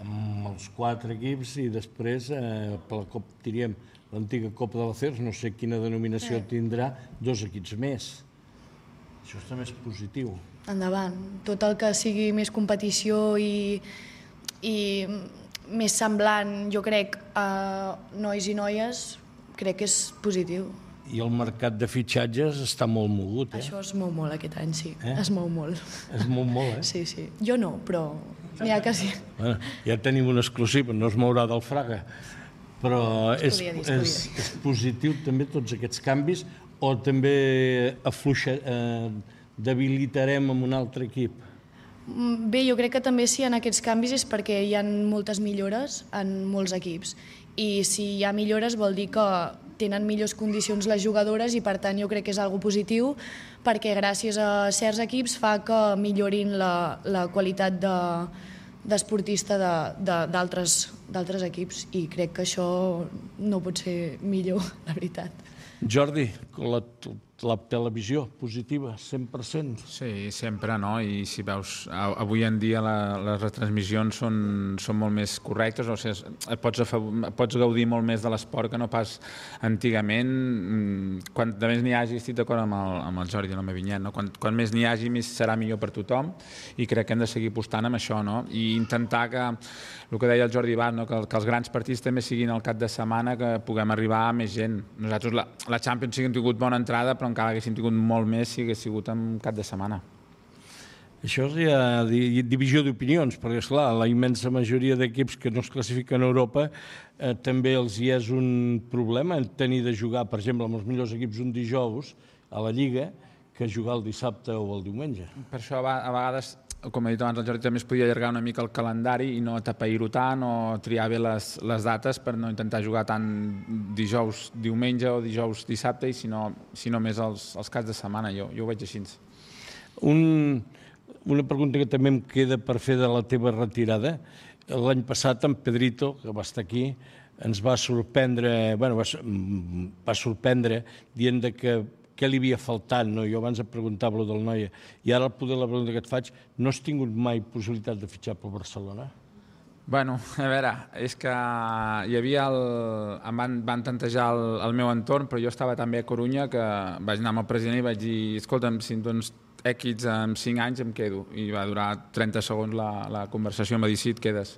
Amb els quatre equips i després, eh, per la Copa, diríem, l'antiga Copa de l'Acers, no sé quina denominació tindrà, dos equips més. Això també és positiu. Endavant. Tot el que sigui més competició i, i més semblant, jo crec, a nois i noies, crec que és positiu. I el mercat de fitxatges està molt mogut, eh? Això es mou molt aquest any, sí. Eh? Es mou molt. Es mou molt, eh? Sí, sí. Jo no, però n'hi ha que sí. Bueno, ja tenim una exclusiva, no es mourà del Fraga. Però és, dir, és, és positiu també tots aquests canvis o també afluixa, eh, debilitarem amb un altre equip? Bé, jo crec que també si hi ha aquests canvis és perquè hi ha moltes millores en molts equips. I si hi ha millores vol dir que tenen millors condicions les jugadores i per tant jo crec que és algo positiu perquè gràcies a certs equips fa que millorin la, la qualitat de, d'esportista de, de, d'altres equips i crec que això no pot ser millor, la veritat. Jordi, la, la televisió positiva, cent per cent? Sí, sempre, no? I si veus, avui en dia la, les retransmissions són, són molt més correctes, o sigui, pots, pots gaudir molt més de l'esport que no pas antigament. Quan més n'hi hagi, estic d'acord amb, el, amb el Jordi i amb el Vinyet, no? Quan, quan més n'hi hagi, més serà millor per tothom i crec que hem de seguir apostant amb això, no? I intentar que, el que deia el Jordi Bas, no? que, que els grans partits també siguin al cap de setmana, que puguem arribar a més gent. Nosaltres la, la Champions sí que hem tingut bona entrada, però encara haguéssim tingut molt més si hagués sigut en cap de setmana. Això és ja divisió d'opinions, perquè, esclar, la immensa majoria d'equips que no es classifiquen a Europa eh, també els hi és un problema tenir de jugar, per exemple, amb els millors equips un dijous a la Lliga que jugar el dissabte o el diumenge. Per això, a vegades, com he dit abans, el Jordi també es podia allargar una mica el calendari i no atapeir-ho tant o triar bé les, les dates per no intentar jugar tant dijous diumenge o dijous dissabte i si no, si no més els, els caps de setmana. Jo, jo ho veig així. Un, una pregunta que també em queda per fer de la teva retirada. L'any passat en Pedrito, que va estar aquí, ens va sorprendre, bueno, va, va sorprendre dient de que què li havia faltat, no? Jo abans et preguntava-lo del Noia, i ara poder la pregunta que et faig, no has tingut mai possibilitat de fitxar per Barcelona? Bueno, a veure, és que hi havia el... em van, van tantejar el, el meu entorn, però jo estava també a Corunya, que vaig anar amb el president i vaig dir, escolta'm, si em dones èxits en cinc anys em quedo, i va durar trenta segons la, la conversació, em va dir, sí, et quedes.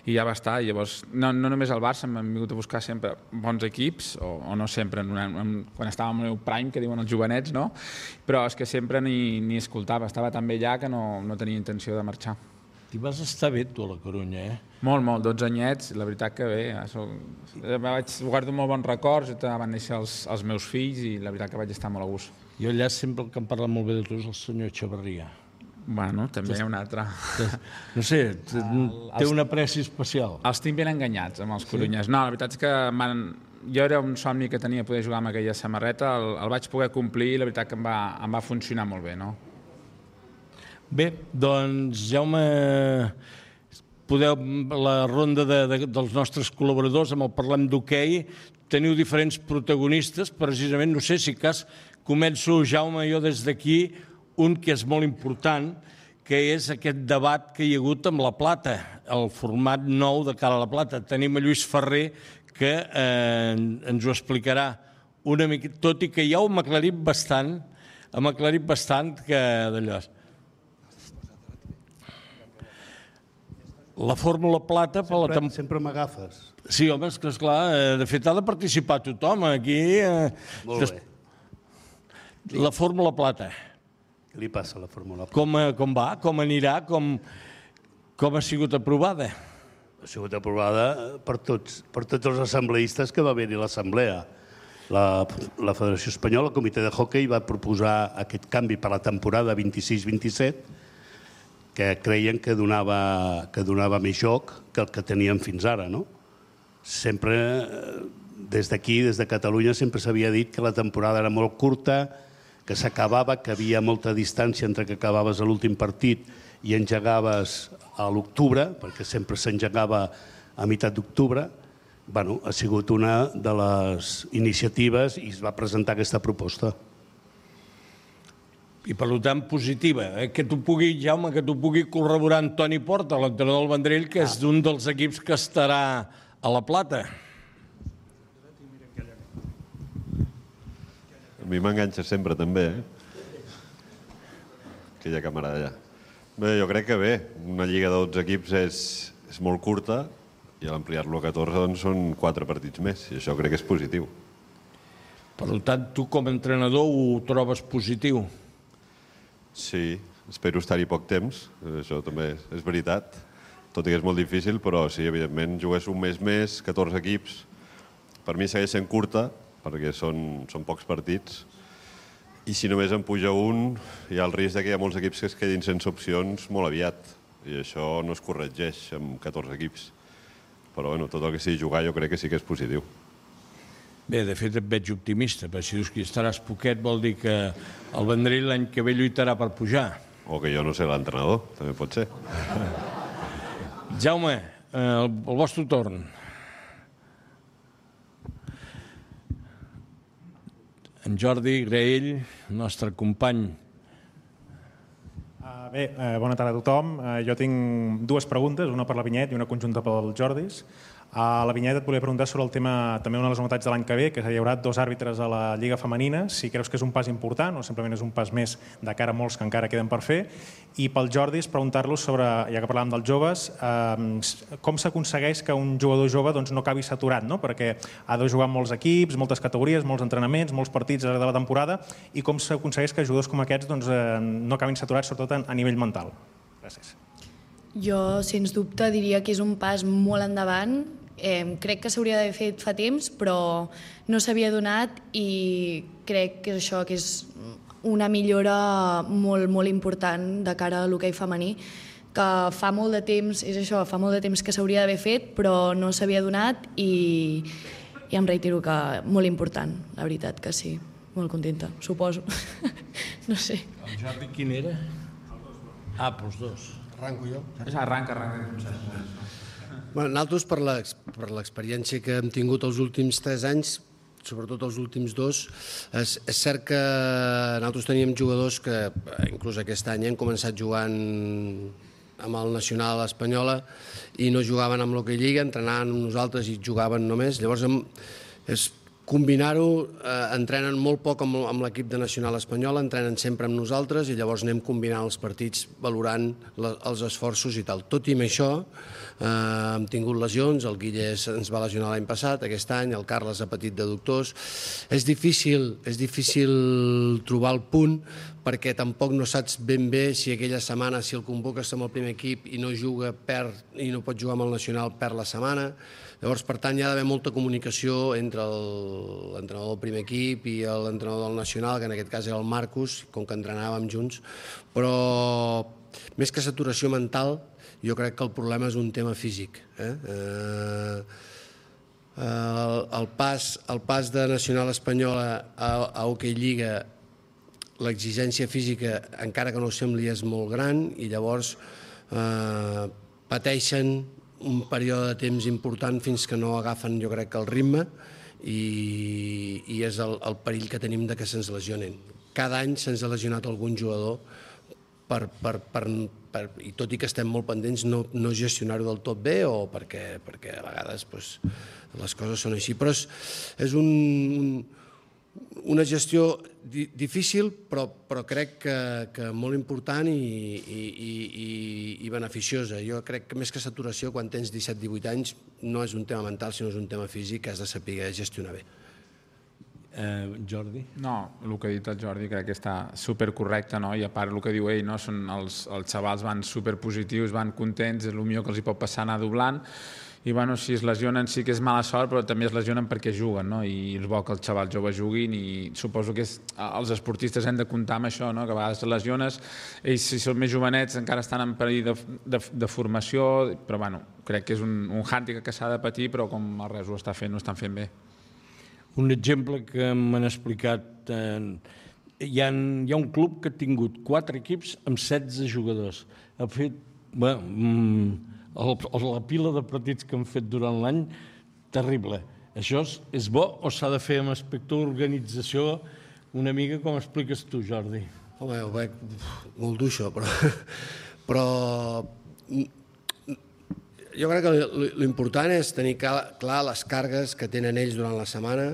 I ja va estar. Llavors, no, no només el Barça, m'han vingut a buscar sempre bons equips, o, o no sempre, en una, en, quan estava en el meu prime, que diuen els jovenets, no? Però és que sempre ni, ni escoltava, estava tan bé allà que no, no tenia intenció de marxar. T'hi vas estar bé, tu, a la Corunya, eh? Molt, molt, dotze anyets, la veritat que bé. Soc, vaig, guardo molt bons records, van néixer els, els meus fills i la veritat que vaig estar molt a gust. Jo allà sempre el que em parla molt bé de tu és el senyor Echeverría. Bueno, també hi ha un altre. No sé, té una pressió especial. Els tinc ben enganyats, amb els corunyes. No, la veritat és que jo era un somni que tenia poder jugar amb aquella samarreta, el, el vaig poder complir i la veritat que em va, em va funcionar molt bé, no? Bé, doncs, Jaume, podeu, la ronda de, de, dels nostres col·laboradors, amb el Parlem d'Hoquei, teniu diferents protagonistes, precisament, no sé si cas, començo, Jaume, jo des d'aquí, un que és molt important, que és aquest debat que hi ha hagut amb la plata, el format nou de cara a la plata. Tenim a Lluís Ferrer, que eh, ens ho explicarà una mica, tot i que ja ho hem aclarit bastant, hem aclarit bastant que d'allò. La Fórmula Plata... Sempre, sempre m'agafes. Sí, home, és que esclar, de fet ha de participar tothom aquí. Molt bé. La Fórmula Plata. Què li passa a la Fórmula Plata? Com, com va? Com anirà? Com, com ha sigut aprovada? Ha sigut aprovada per tots, per tots els assembleistes que va haver-hi a l'assemblea. La, la Federació Espanyola, el Comitè de Hockey, va proposar aquest canvi per la temporada vint-i-sis vint-i-set, que creien que donava, que donava més joc que el que teníem fins ara, no? Sempre, des d'aquí, des de Catalunya, sempre s'havia dit que la temporada era molt curta, que s'acabava, que havia molta distància entre que acabaves l'últim partit i engegaves a l'octubre, perquè sempre s'engegava a meitat d'octubre. Bueno, ha sigut una de les iniciatives i es va presentar aquesta proposta. I per tant positiva, eh? que t'ho pugui, Jaume, que t'ho pugui corroborar Antoni Porta, l'entrenador del Vendrell, que és d'un dels equips que estarà a la Plata. A mi m'enganxa sempre també, eh? Aquella camarada allà. Bé, jo crec que bé, una lliga de dotze equips és, és molt curta i a l'ampliar-lo a catorze doncs, són quatre partits més i això crec que és positiu. Per tant, tu com a entrenador ho trobes positiu? Sí, espero estar-hi poc temps, això també és veritat, tot i que és molt difícil, però sí, evidentment, jugués un mes més, catorze equips, per mi segueix sent curta, perquè són, són pocs partits, i si només en puja un, hi ha el risc que hi ha molts equips que es quedin sense opcions molt aviat, i això no es corregeix amb catorze equips. Però bueno, tot el que sigui jugar jo crec que sí que és positiu. Bé, de fet et veig optimista, perquè si dius que estaràs poquet vol dir que el Vendrell l'any que ve lluitarà per pujar. O que jo no sé l'entrenador, també pot ser. Jaume, el, el vostre torn. En Jordi Graell, nostre company. Uh, bé, uh, bona tarda a tothom. Uh, jo tinc dues preguntes, una per la Vinyet i una conjunta pel Jordis. A la Vinyet et volia preguntar sobre el tema, també una de les novetats de l'any que ve, que hi haurà dos àrbitres a la Lliga Femenina, si creus que és un pas important o simplement és un pas més de cara a molts que encara queden per fer. I pel Jordis, preguntar-los sobre, ja que parlàvem dels joves, eh, com s'aconsegueix que un jugador jove doncs, no acabi saturat, no? Perquè ha de jugar molts equips, moltes categories, molts entrenaments, molts partits de la temporada, i com s'aconsegueix que jugadors com aquests doncs, eh, no acabin saturats, sobretot a nivell mental. Gràcies. Jo, sens dubte, diria que és un pas molt endavant. Eh, crec que s'hauria d'haver fet fa temps, però no s'havia donat i crec que això que és una millora molt, molt important de cara a l'hoquei femení, que fa molt de temps, és això, fa molt de temps que s'hauria d'haver fet, però no s'havia donat i, i em reitero que molt important, la veritat que sí. Molt contenta, suposo. No sé. El Jordi quin era? Ah, pels dos. Arranco jo? Arranca, arranca. Bueno, nosaltres, per l'experiència que hem tingut els últims tres anys, sobretot els últims dos, és, és cert que nosaltres teníem jugadors que, inclús aquest any, han començat jugant amb el Nacional Espanyola i no jugaven amb l'Hockey Lliga, entrenaven amb nosaltres i jugaven només. Llavors, és combinar-ho, eh, entrenen molt poc amb, amb l'equip de Nacional Espanyola, entrenen sempre amb nosaltres i llavors anem combinant els partits valorant la, els esforços i tal. Tot i amb això, eh, hem tingut lesions, el Guille ens va lesionar l'any passat, aquest any, el Carles ha patit de doctors. És difícil, és difícil trobar el punt perquè tampoc no saps ben bé si aquella setmana, si el convoques amb el primer equip i no juga, perd, i no pot jugar amb el Nacional, perd la setmana. Llavors, per tant, hi ha d'haver molta comunicació entre l'entrenador del primer equip i l'entrenador del Nacional, que en aquest cas era el Marcus, com que entrenàvem junts. Però, més que saturació mental, jo crec que el problema és un tema físic. Eh? Eh, el, el, pas, el pas de Nacional Espanyola a, a Hockey Lliga, l'exigència física, encara que no ho sembli, és molt gran i llavors eh, pateixen un període de temps important fins que no agafen, jo crec, el ritme i, i és el, el perill que tenim de que se'ns lesionen. Cada any se'ns ha lesionat algun jugador per, per, per, per, i tot i que estem molt pendents, no, no gestionar-ho del tot bé o perquè, perquè a vegades pues, les coses són així. Però és, és un, un, una gestió di difícil, però, però crec que, que molt important i, i, i, i beneficiosa. Jo crec que més que saturació, quan tens disset divuit anys, no és un tema mental, sinó és un tema físic que has de saber gestionar bé. Eh, Jordi? No, el que ha dit el Jordi crec que està supercorrecte, no? I a part el que diu ell, no? Són els, els xavals van superpositius, van contents, és el millor que els hi pot passar anar doblant, i bueno, si es lesionen sí que és mala sort, però també es lesionen perquè juguen, no? I és bo que els xavals joves juguin, i suposo que és, els esportistes hem de comptar amb això, no? Que a vegades te lesiones, ells si són més jovenets encara estan en perill de, de, de formació, però bueno, crec que és un, un hàndicap que s'ha de patir, però com el Reus ho està fent, ho estan fent bé. Un exemple que m'han explicat, eh, hi, ha, hi ha un club que ha tingut quatre equips amb setze jugadors. Ha fet, bé, mm, el, la pila de partits que han fet durant l'any, terrible. Això és, és bo o s'ha de fer amb aspecte d'organització una mica com expliques tu, Jordi? Home, ho veig molt dur, això, però... però jo crec que l'important és tenir clar les cargues que tenen ells durant la setmana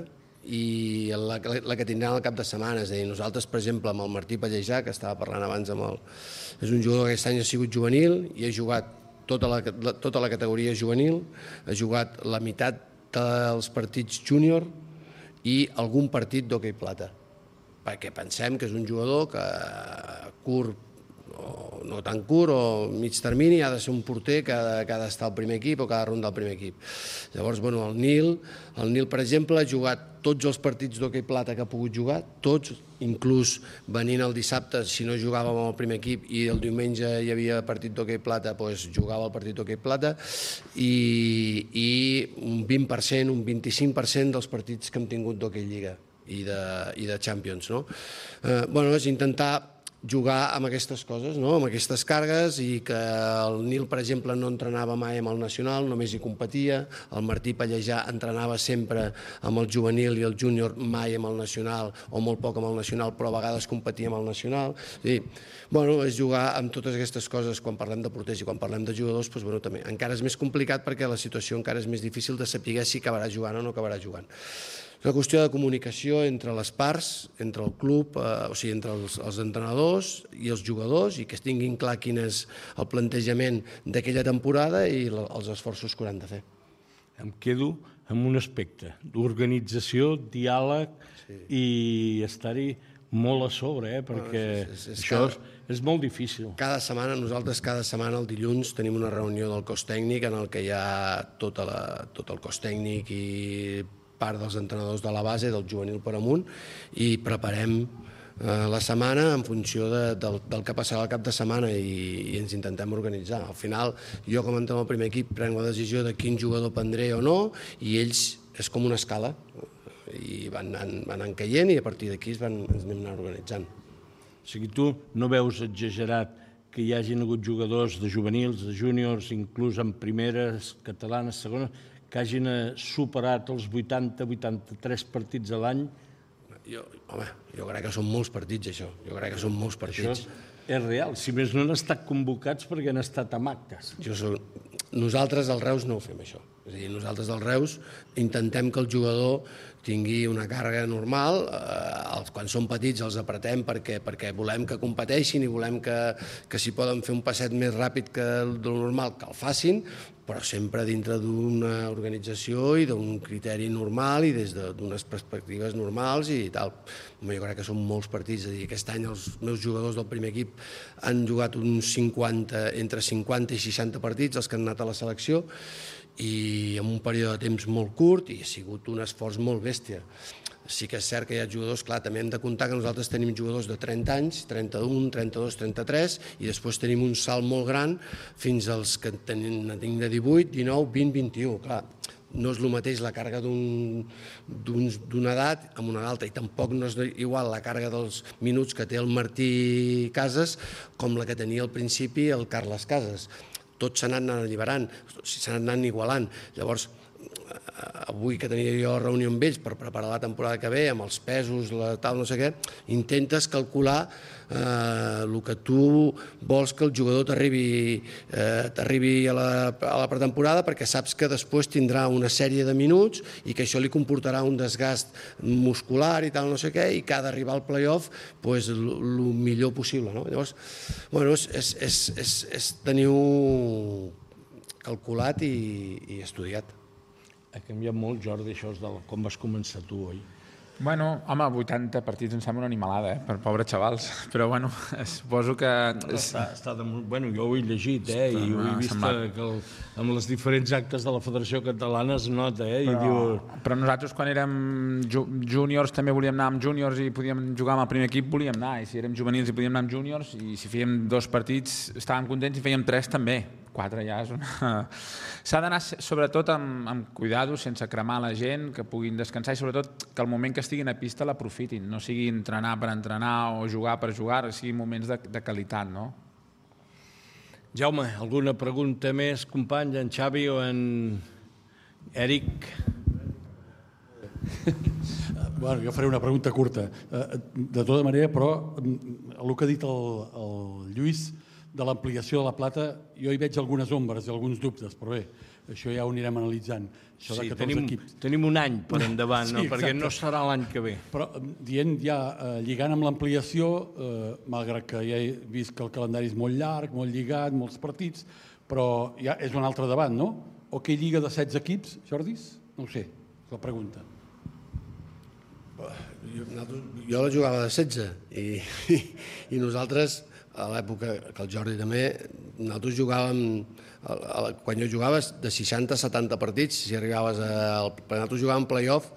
i la, la que tindran al cap de setmana. És a dir, nosaltres, per exemple, amb el Martí Pallejà, que estava parlant abans amb el... És un jugador que aquest any ha sigut juvenil i ha jugat tota la, tota la categoria juvenil, ha jugat la meitat dels partits júnior i algun partit d'hoquei plata, perquè pensem que és un jugador que curt, o no tan curt, o mig termini, ha de ser un porter que ha, de, que ha d'estar al primer equip o que ha de rondar el primer equip. Llavors, bueno, el Nil, el Nil, per exemple, ha jugat tots els partits d'hoquei plata que ha pogut jugar, tots, inclús venint el dissabte, si no jugàvem amb el primer equip i el diumenge hi havia partit d'hoquei plata, doncs jugava el partit d'hoquei plata, i, i un vint per cent, un vint-i-cinc per cent dels partits que hem tingut d'hoquei lliga i de, i de Champions, no? Eh, bueno, és intentar jugar amb aquestes coses, no? Amb aquestes cargues, i que el Nil, per exemple, no entrenava mai amb el nacional, només hi competia, el Martí Pallejà entrenava sempre amb el juvenil i el júnior, mai amb el nacional, o molt poc amb el nacional, però a vegades competia amb el nacional. I, bueno, és jugar amb totes aquestes coses. Quan parlem de porters i quan parlem de jugadors, doncs, bueno, també encara és més complicat perquè la situació encara és més difícil de saber si acabarà jugant o no acabarà jugant. És una qüestió de comunicació entre les parts, entre el club, eh, o sigui, entre els, els entrenadors i els jugadors, i que es tinguin clar quin és el plantejament d'aquella temporada i la, els esforços que hauran de fer. Em quedo amb un aspecte d'organització, diàleg, sí, i estar-hi molt a sobre, eh, perquè no, és, és, és això cada, és, és molt difícil. Cada setmana, nosaltres cada setmana, el dilluns, tenim una reunió del cos tècnic en el que hi ha tota la, tot el cos tècnic i part dels entrenadors de la base, del juvenil per amunt, i preparem eh, la setmana en funció de, del, del que passarà al cap de setmana, i, i ens intentem organitzar. Al final, jo com a entrenador del primer equip prenc la decisió de quin jugador prendré o no, i ells és com una escala, i van anant, van anant caient, i a partir d'aquí van, ens anem anant organitzant. O sigui, tu no veus exagerat que hi hagin hagut jugadors de juvenils, de júniors, inclús en primeres, catalanes, segones, que hagin superat els vuitanta vuitanta-tres partits a l'any? Jo, home, jo crec que són molts partits, això. Jo crec que són molts partits. Això és real. Si més no han estat convocats perquè han estat amb actes. Jo soc... Nosaltres, al Reus, no ho fem, això. És a dir, nosaltres, al Reus, intentem que el jugador tingui una càrrega normal. Eh, quan són petits els apretem perquè, perquè volem que competeixin i volem que, que si poden fer un passet més ràpid que el normal, que el facin, però sempre dintre d'una organització i d'un criteri normal i des d'unes perspectives normals i tal. Jo crec que són molts partits. És a dir, aquest any els meus jugadors del primer equip han jugat uns cinquanta, entre cinquanta i seixanta partits, els que han anat a la selecció, i en un període de temps molt curt, i ha sigut un esforç molt bèstia. Sí que és cert que hi ha jugadors, clar, també hem de comptar que nosaltres tenim jugadors de trenta anys, trenta-un, trenta-dos, trenta-tres, i després tenim un salt molt gran fins als que tenim de divuit, dinou, vint, vint-i-u. Clar, no és el mateix la càrrega d'una edat amb una altra, i tampoc no és igual la càrrega dels minuts que té el Martí Casas com la que tenia al principi el Carles Casas. Tots s'han anat alliberant, s'han anat igualant. Llavors, avui que tenia jo reunió amb ells per preparar la temporada que ve, amb els pesos, la tal, no sé què, intentes calcular eh, el que tu vols que el jugador t'arribi eh, t'arribi a, la, a la pretemporada, perquè saps que després tindrà una sèrie de minuts i que això li comportarà un desgast muscular i tal, no sé què, i que ha d'arribar al play-off pues, el millor possible. No? Llavors, bueno, és, és, és, és, és tenir-ho calculat i, i estudiat. Ha canviat molt, Jordi, això de com vas començar tu, oi? Bueno, home, vuitanta partits em sembla una animalada, eh? Per pobres xavals. Però, bueno, suposo que... És... Està, està de... Bueno, jo ho he llegit, eh? Està, i ho he vist semblat... que el, amb les diferents actes de la Federació Catalana es nota, eh? Però, I diu... però nosaltres, quan érem ju júniors, també volíem anar amb júniors i podíem jugar amb el primer equip, volíem anar. I si érem juvenils i podíem anar amb júniors, i si fèiem dos partits estàvem contents i fèiem tres també. Quatre ja és una... S'ha d'anar sobretot amb, amb cuidado, sense cremar la gent, que puguin descansar i sobretot que el moment que estiguin a pista l'aprofitin, no sigui entrenar per entrenar o jugar per jugar, siguin moments de, de qualitat, no? Jaume, alguna pregunta més, company, en Xavi o en Eric? Bueno, jo faré una pregunta curta. De tota manera, però, el que ha dit el, el Lluís, de l'ampliació de la Plata, jo hi veig algunes ombres i alguns dubtes, però bé, això ja ho anirem analitzant. Això Sí, de tenim, equips. tenim un any per endavant, Sí, no? exacte. Perquè no serà l'any que ve. Però dient ja, eh, lligant amb l'ampliació, eh, malgrat que ja he vist que el calendari és molt llarg, molt lligat, molts partits, però ja és un altre debat, no? O què lliga de setze equips, Jordis? No ho sé, és la pregunta. Jo, jo la jugava de setze i, i, i nosaltres, a l'època que el Jordi també, nosaltres jugàvem, quan jo jugava, de seixanta a setanta partits, si arribaves a... Nosaltres jugàvem play-off,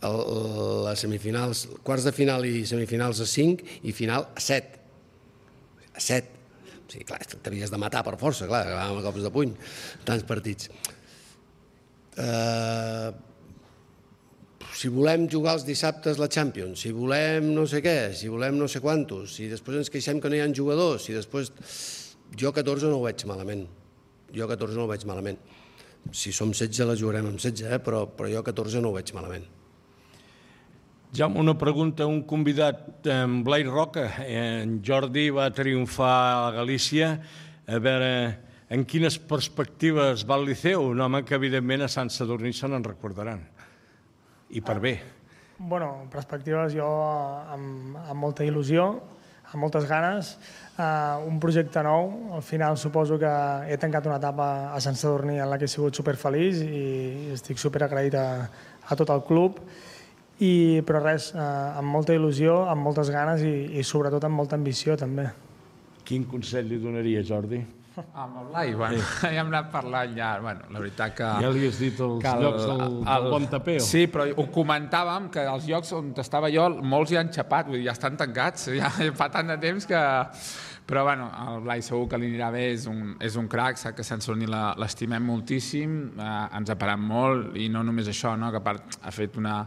les semifinals, quarts de final i semifinals a cinc i final a set. A set. O sigui, clar, t'havies de matar per força, clar, acabàvem a cops de puny, tants partits. Eh... Si volem jugar els dissabtes la Champions, si volem no sé què, si volem no sé quantos, si després ens queixem que no hi ha jugadors, si després... Jo catorze no ho veig malament. Jo catorze no ho veig malament. Si som setze la jugarem amb setze, eh? però, però jo catorze no ho veig malament. Jaume, una pregunta a un convidat, en Blai Roca. En Jordi va triomfar a Galícia. A veure, en quines perspectives va el Liceu? Un home que, evidentment, a Sant Sadurní se n'en recordaran. I per bé. Bueno, perspectives jo amb, amb molta il·lusió, amb moltes ganes. Uh, un projecte nou. Al final suposo que he tancat una etapa a Sant Sadurní en la que he sigut superfeliç i estic superagraït a, a tot el club. I, però res, uh, amb molta il·lusió, amb moltes ganes i, i sobretot amb molta ambició també. Quin consell li donaria, Jordi? Amb el Blai, bueno, ja hem anat parlant ja, bueno, la veritat que... Ja li has dit els el, llocs del, el, del Bon Tapeo. Sí, però ho comentàvem, que els llocs on estava jo, molts ja han xapat, vull dir, ja estan tancats, ja fa tant de temps que... Però, bueno, el Blai segur que li anirà bé, és un, és un crac, sap que Sant Sadurní l'estimem moltíssim, eh, ens ha parat molt, i no només això, no? Que a part ha fet una,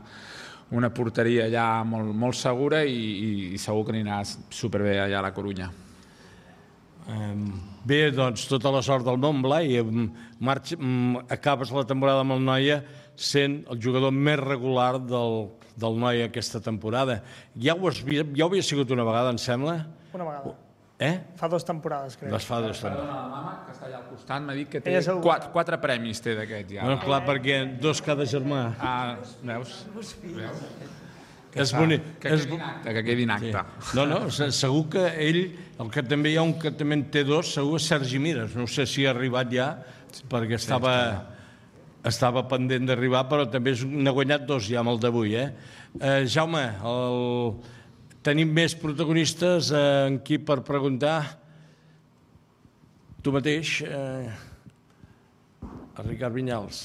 una porteria allà molt, molt segura i, i, i segur que anirà superbé allà a la Corunya. Bé, doncs, tota la sort del món, Blai. Marx, acabes la temporada amb el Noia sent el jugador més regular del, del Noia aquesta temporada. Ja ho, has, ja ho havia sigut una vegada, em sembla? Una vegada. Eh? Fa dues temporades, crec. Les fa dues temporades. Perdona, la mama, que està allà al costat, m'ha dit que té Ella segur. quatre, quatre premis té d'aquests ja. Bueno, clar, perquè dos cada germà. Ah, veus? Veus? Que És bonic. Que quedi en acte, que quedi en acte. Sí. No, no, segur que ell, el que també hi ha un que també en té dos, segur és Sergi Mires. No sé si ha arribat ja, perquè estava, estava pendent d'arribar, però també n'ha guanyat dos ja amb el d'avui. Eh? Eh, Jaume, el... tenim més protagonistes en qui per preguntar? Tu mateix, eh... el Ricard Vinyals.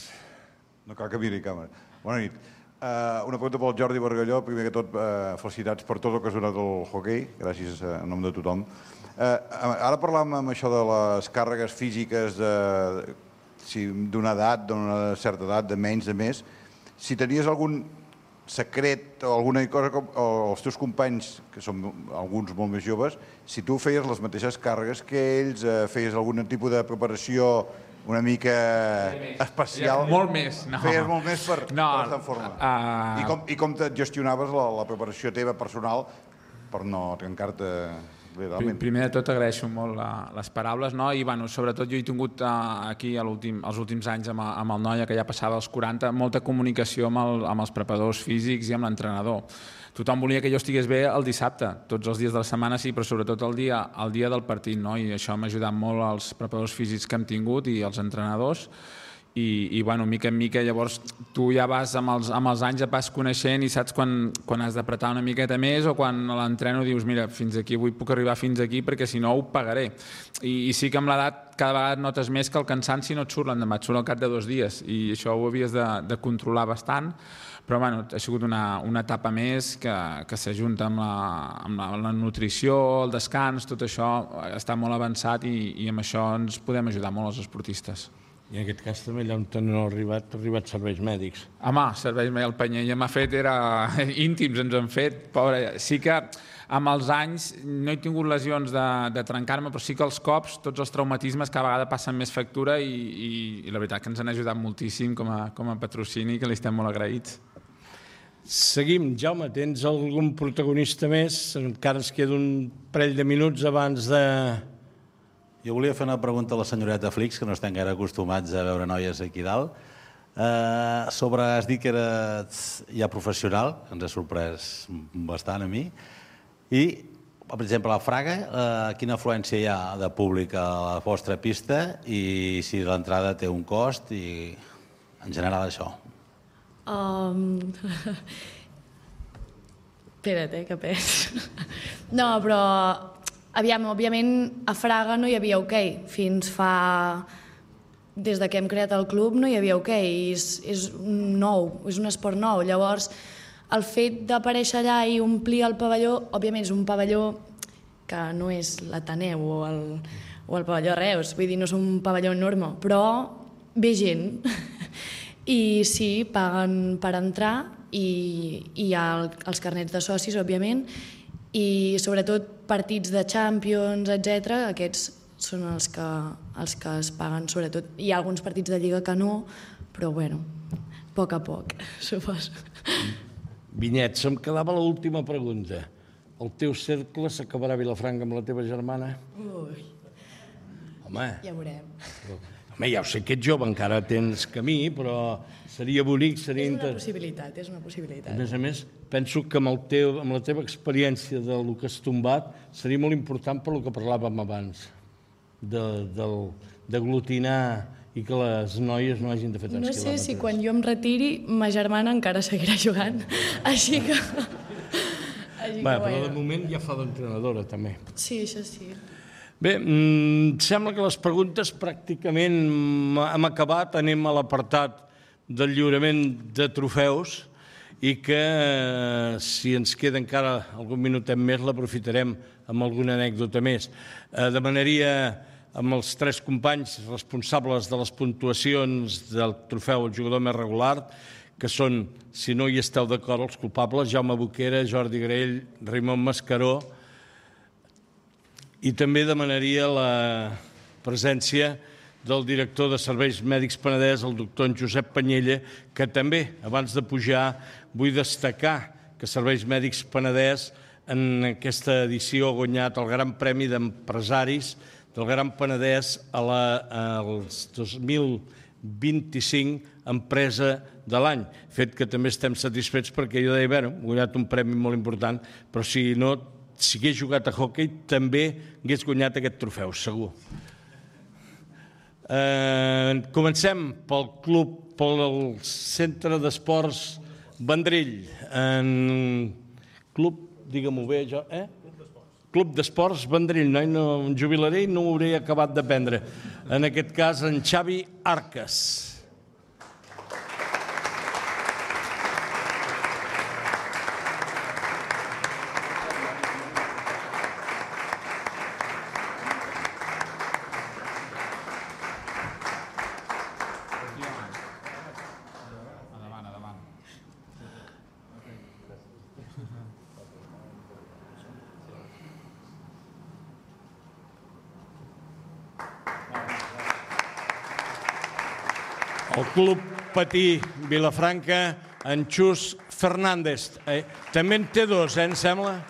No cal que miri càmera. Bona nit. Uh, una pregunta pel Jordi Bargalló. Primer que tot, uh, felicitats per tot el que has donat al hoquei. Gràcies uh, en nom de tothom. Uh, ara parlàvem amb això de les càrregues físiques de, si, d'una edat, d'una certa edat, de menys, de més. Si tenies algun secret o alguna cosa, com, o els teus companys, que són alguns molt més joves, si tu feies les mateixes càrregues que ells, uh, feies algun tipus de preparació una mica especial. Molt més, no. Feies molt més per, no, per estar en forma. Uh... I, com, I com et gestionaves la, la preparació teva personal per no trencar-te realment? Primer de tot agraeixo molt la, les paraules, no? I bueno, sobretot jo he tingut uh, aquí a els últims anys amb, amb el Noia, que ja passava als quaranta, molta comunicació amb, el, amb els preparadors físics i amb l'entrenador. Tothom volia que jo estigués bé el dissabte, tots els dies de la setmana sí, però sobretot el dia, el dia del partit, no? I això m'ha ajudat molt als preparadors físics que hem tingut i als entrenadors. I, i bueno, mica en mica, llavors tu ja vas amb els, amb els anys ja vas coneixent i saps quan, quan has d'apretar una miqueta més o quan a l'entreno dius mira, fins aquí avui puc arribar fins aquí perquè si no ho pagaré. I, i sí que amb l'edat cada vegada notes més que el cansanci no et surt l'endemà, et surt al cap de dos dies i això ho havies de, de controlar bastant. Però bueno, ha sigut una, una etapa més que, que s'ajunta amb, la, amb la, la nutrició, el descans, tot això està molt avançat i, i amb això ens podem ajudar molt els esportistes. I en aquest cas també allà on no ha arribat, ha arribat serveis mèdics. Home, serveis mèdics, el Panyella m'ha fet, era íntims ens han fet, pobre. Sí que amb els anys no he tingut lesions de, de trencar-me, però sí que els cops, tots els traumatismes cada vegada passen més factura i, i, i la veritat que ens han ajudat moltíssim com a, com a patrocini, que li estem molt agraïts. Seguim. Jaume, tens algun protagonista més? Encara ens queda un parell de minuts abans de... Jo volia fer una pregunta a la senyoreta Flix, que no estem gaire acostumats a veure noies aquí dalt. Uh, sobre, has dit que eres ja professional, que ens ha sorprès bastant a mi. I, per exemple, a Fraga, uh, quina afluència hi ha de públic a la vostra pista i si l'entrada té un cost i en general això? Um... Espera't, eh, que pes. No, però, aviam, òbviament, a Fraga no hi havia hoquei. Fins fa... Des que hem creat el club no hi havia hoquei. És, és nou, és un esport nou. Llavors, el fet d'aparèixer allà i omplir el pavelló, òbviament és un pavelló que no és l'Ateneu o el, o el pavelló Reus, vull dir, no és un pavelló enorme, però ve gent. I sí, paguen per entrar i hi ha els carnets de socis, òbviament, i sobretot partits de Champions, etcètera, aquests són els que, els que es paguen sobretot. Hi ha alguns partits de Lliga que no, però bueno, a poc a poc, suposo. Vinyet, se'm quedava l'última pregunta. El teu cercle s'acabarà a Vilafranca amb la teva germana? Ui. Home. Ja veurem. Home, ja ho sé que ets jove, encara tens camí, però seria bonic, seria... És una possibilitat, és una possibilitat. A més a més, penso que amb, el teu, amb la teva experiència del que has tombat seria molt important per el que parlàvem abans, d'aglutinar i que les noies no hagin de fer tants quilòmetres. No sé si quan jo em retiri ma germana encara seguirà jugant, així que... Bé, però de moment ja fa d'entrenadora, també. Sí, això sí. Bé, mm, sembla que les preguntes pràcticament hem acabat. Anem a l'apartat del lliurament de trofeus i que, eh, si ens queda encara algun minutet més, l'aprofitarem amb alguna anècdota més. Eh, demanaria amb els tres companys responsables de les puntuacions del trofeu al jugador més regular, que són, si no hi esteu d'acord, els culpables, Jaume Boquera, Jordi Grell, Raimon Mascaró, i també demanaria la presència del director de Serveis Mèdics Penedès, el doctor en Josep Panyella, que també, abans de pujar, vull destacar que Serveis Mèdics Penedès en aquesta edició ha guanyat el Gran Premi d'Empresaris del Gran Penedès a la, als dos mil vint-i-cinc Empresa de l'any, fet que també estem satisfets perquè jo deia, bueno, he guanyat un premi molt important, però si no, si hagués jugat a hoquei també hagués guanyat aquest trofeu, segur. Eh, comencem pel club, pel Centre d'Esports Vendrell. En club, digue-m'ho bé, jo, eh? Club d'Esports Vendrell, no, no em jubilaré i no ho hauré acabat d'aprendre. En aquest cas, en Xavi Arcas. El Club Patí Vilafranca, en Xus Fernández. Eh, també en té dos, eh, em sembla?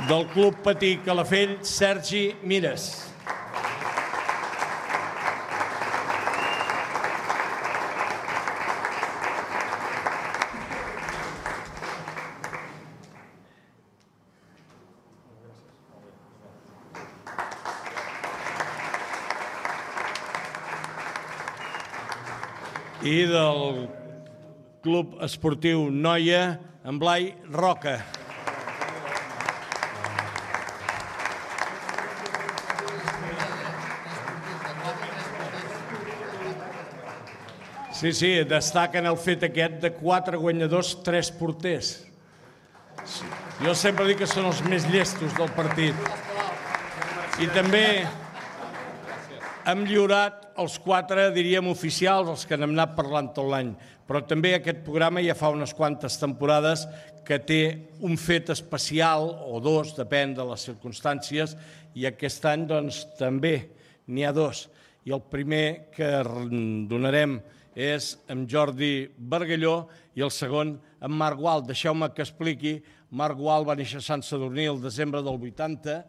Del Club Patí Calafell, Sergi Mires. I del Club Esportiu Noia, en Blai Roca. Sí, sí, destaquen el fet aquest de quatre guanyadors, tres porters. Jo sempre dic que són els més llestos del partit. I també hem lliurat els quatre, diríem, oficials, els que n'hem anat parlant tot l'any. Però també aquest programa ja fa unes quantes temporades que té un fet especial, o dos, depèn de les circumstàncies, i aquest any, doncs, també n'hi ha dos. I el primer que donarem és en Jordi Bargalló i el segon en Marc Gual. Deixeu-me que expliqui. Marc Gual va néixer a Sant Sadurní el desembre del vuitanta,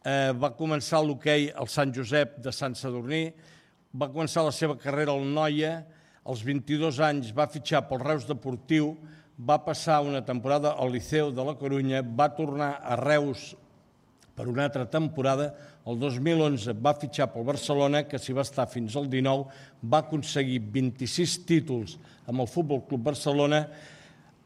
eh, va començar l'hoquei al Sant Josep de Sant Sadurní, va començar la seva carrera al Noia, als vint-i-dos anys va fitxar pel Reus Deportiu, va passar una temporada al Liceu de la Corunya, va tornar a Reus per una altra temporada. El dos mil onze va fitxar pel Barcelona, que s'hi va estar fins al dinou, va aconseguir vint-i-sis títols amb el Futbol Club Barcelona,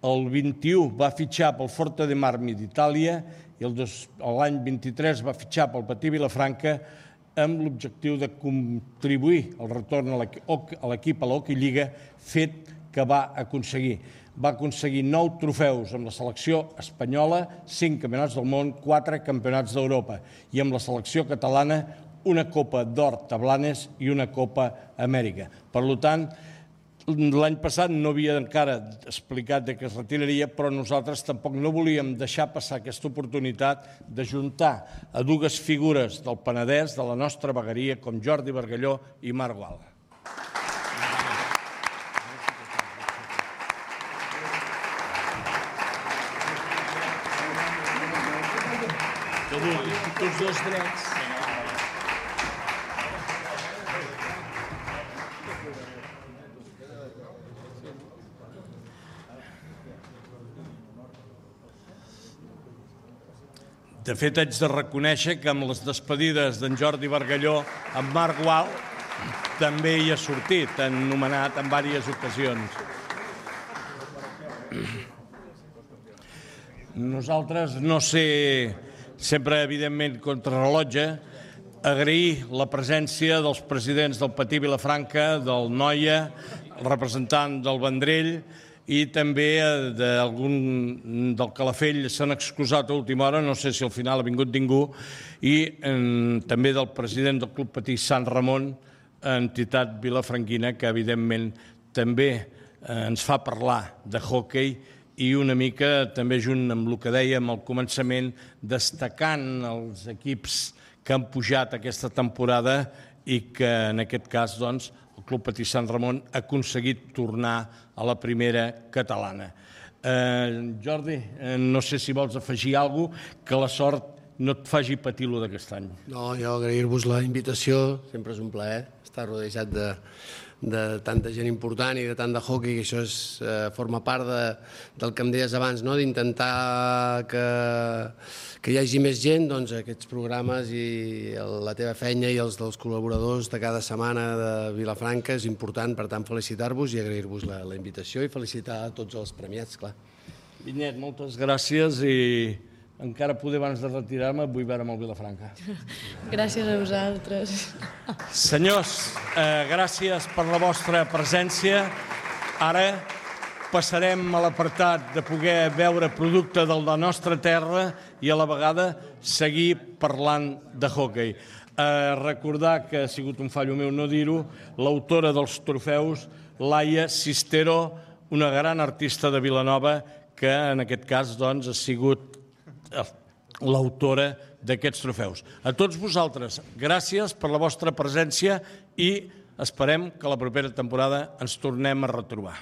el vint-i-u va fitxar pel Forte dei Marmi d'Itàlia i l'any vint-i-tres va fitxar pel Patí Vilafranca amb l'objectiu de contribuir al retorn a l'equip a l'Hockey Lliga, fet que va aconseguir. Va aconseguir nou trofeus amb la selecció espanyola, cinc campionats del món, quatre campionats d'Europa, i amb la selecció catalana una Copa d'Or Tablanes i una Copa Amèrica. Per tant, l'any passat no havia encara explicat que es retiraria, però nosaltres tampoc no volíem deixar passar aquesta oportunitat d'ajuntar a dues figures del Penedès, de la nostra vegueria, com Jordi Bargalló i Marc Gual. Tots dos drets. De fet, haig de reconèixer que amb les despedides d'en Jordi Bargalló, en Marc Gual també hi ha sortit, anomenat en diverses ocasions. Nosaltres, no sé, sempre, evidentment, contrarrellotge, agrair la presència dels presidents del Patí Vilafranca, del Noia, el representant del Vendrell i també d'algun del Calafell s'han excusat a última hora, no sé si al final ha vingut ningú, i també del president del Club Patí Sant Ramon, entitat vilafranquina, que evidentment també ens fa parlar de hoquei i una mica també junt amb el que dèiem al començament, destacant els equips que han pujat aquesta temporada i que en aquest cas doncs, el Club Patí Sant Ramon ha aconseguit tornar a la primera catalana. Eh, Jordi, eh, no sé si vols afegir alguna cosa, que la sort no et faci patir-lo d'aquest any. No, jo agrair-vos la invitació, sempre és un plaer estar rodejat de, de tanta gent important i de tant de hockey, que això és, eh, forma part de, del que em deies abans, no? D'intentar que, que hi hagi més gent, doncs aquests programes i la teva feina i els dels col·laboradors de cada setmana de Vilafranca és important, per tant felicitar-vos i agrair-vos la, la invitació i felicitar a tots els premiats, clar. Vinyet, moltes gràcies i encara poder abans de retirar-me vull veure amb el Vilafranca. Gràcies a vosaltres. Senyors, eh, gràcies per la vostra presència. Ara passarem a l'apartat de poder veure producte de la nostra terra i a la vegada seguir parlant de hoquei. Recordar que ha sigut un fallo meu no dir-ho, l'autora dels trofeus, Laia Sistero, una gran artista de Vilanova, que en aquest cas doncs, ha sigut l'autora d'aquests trofeus. A tots vosaltres, gràcies per la vostra presència i esperem que la propera temporada ens tornem a retrobar.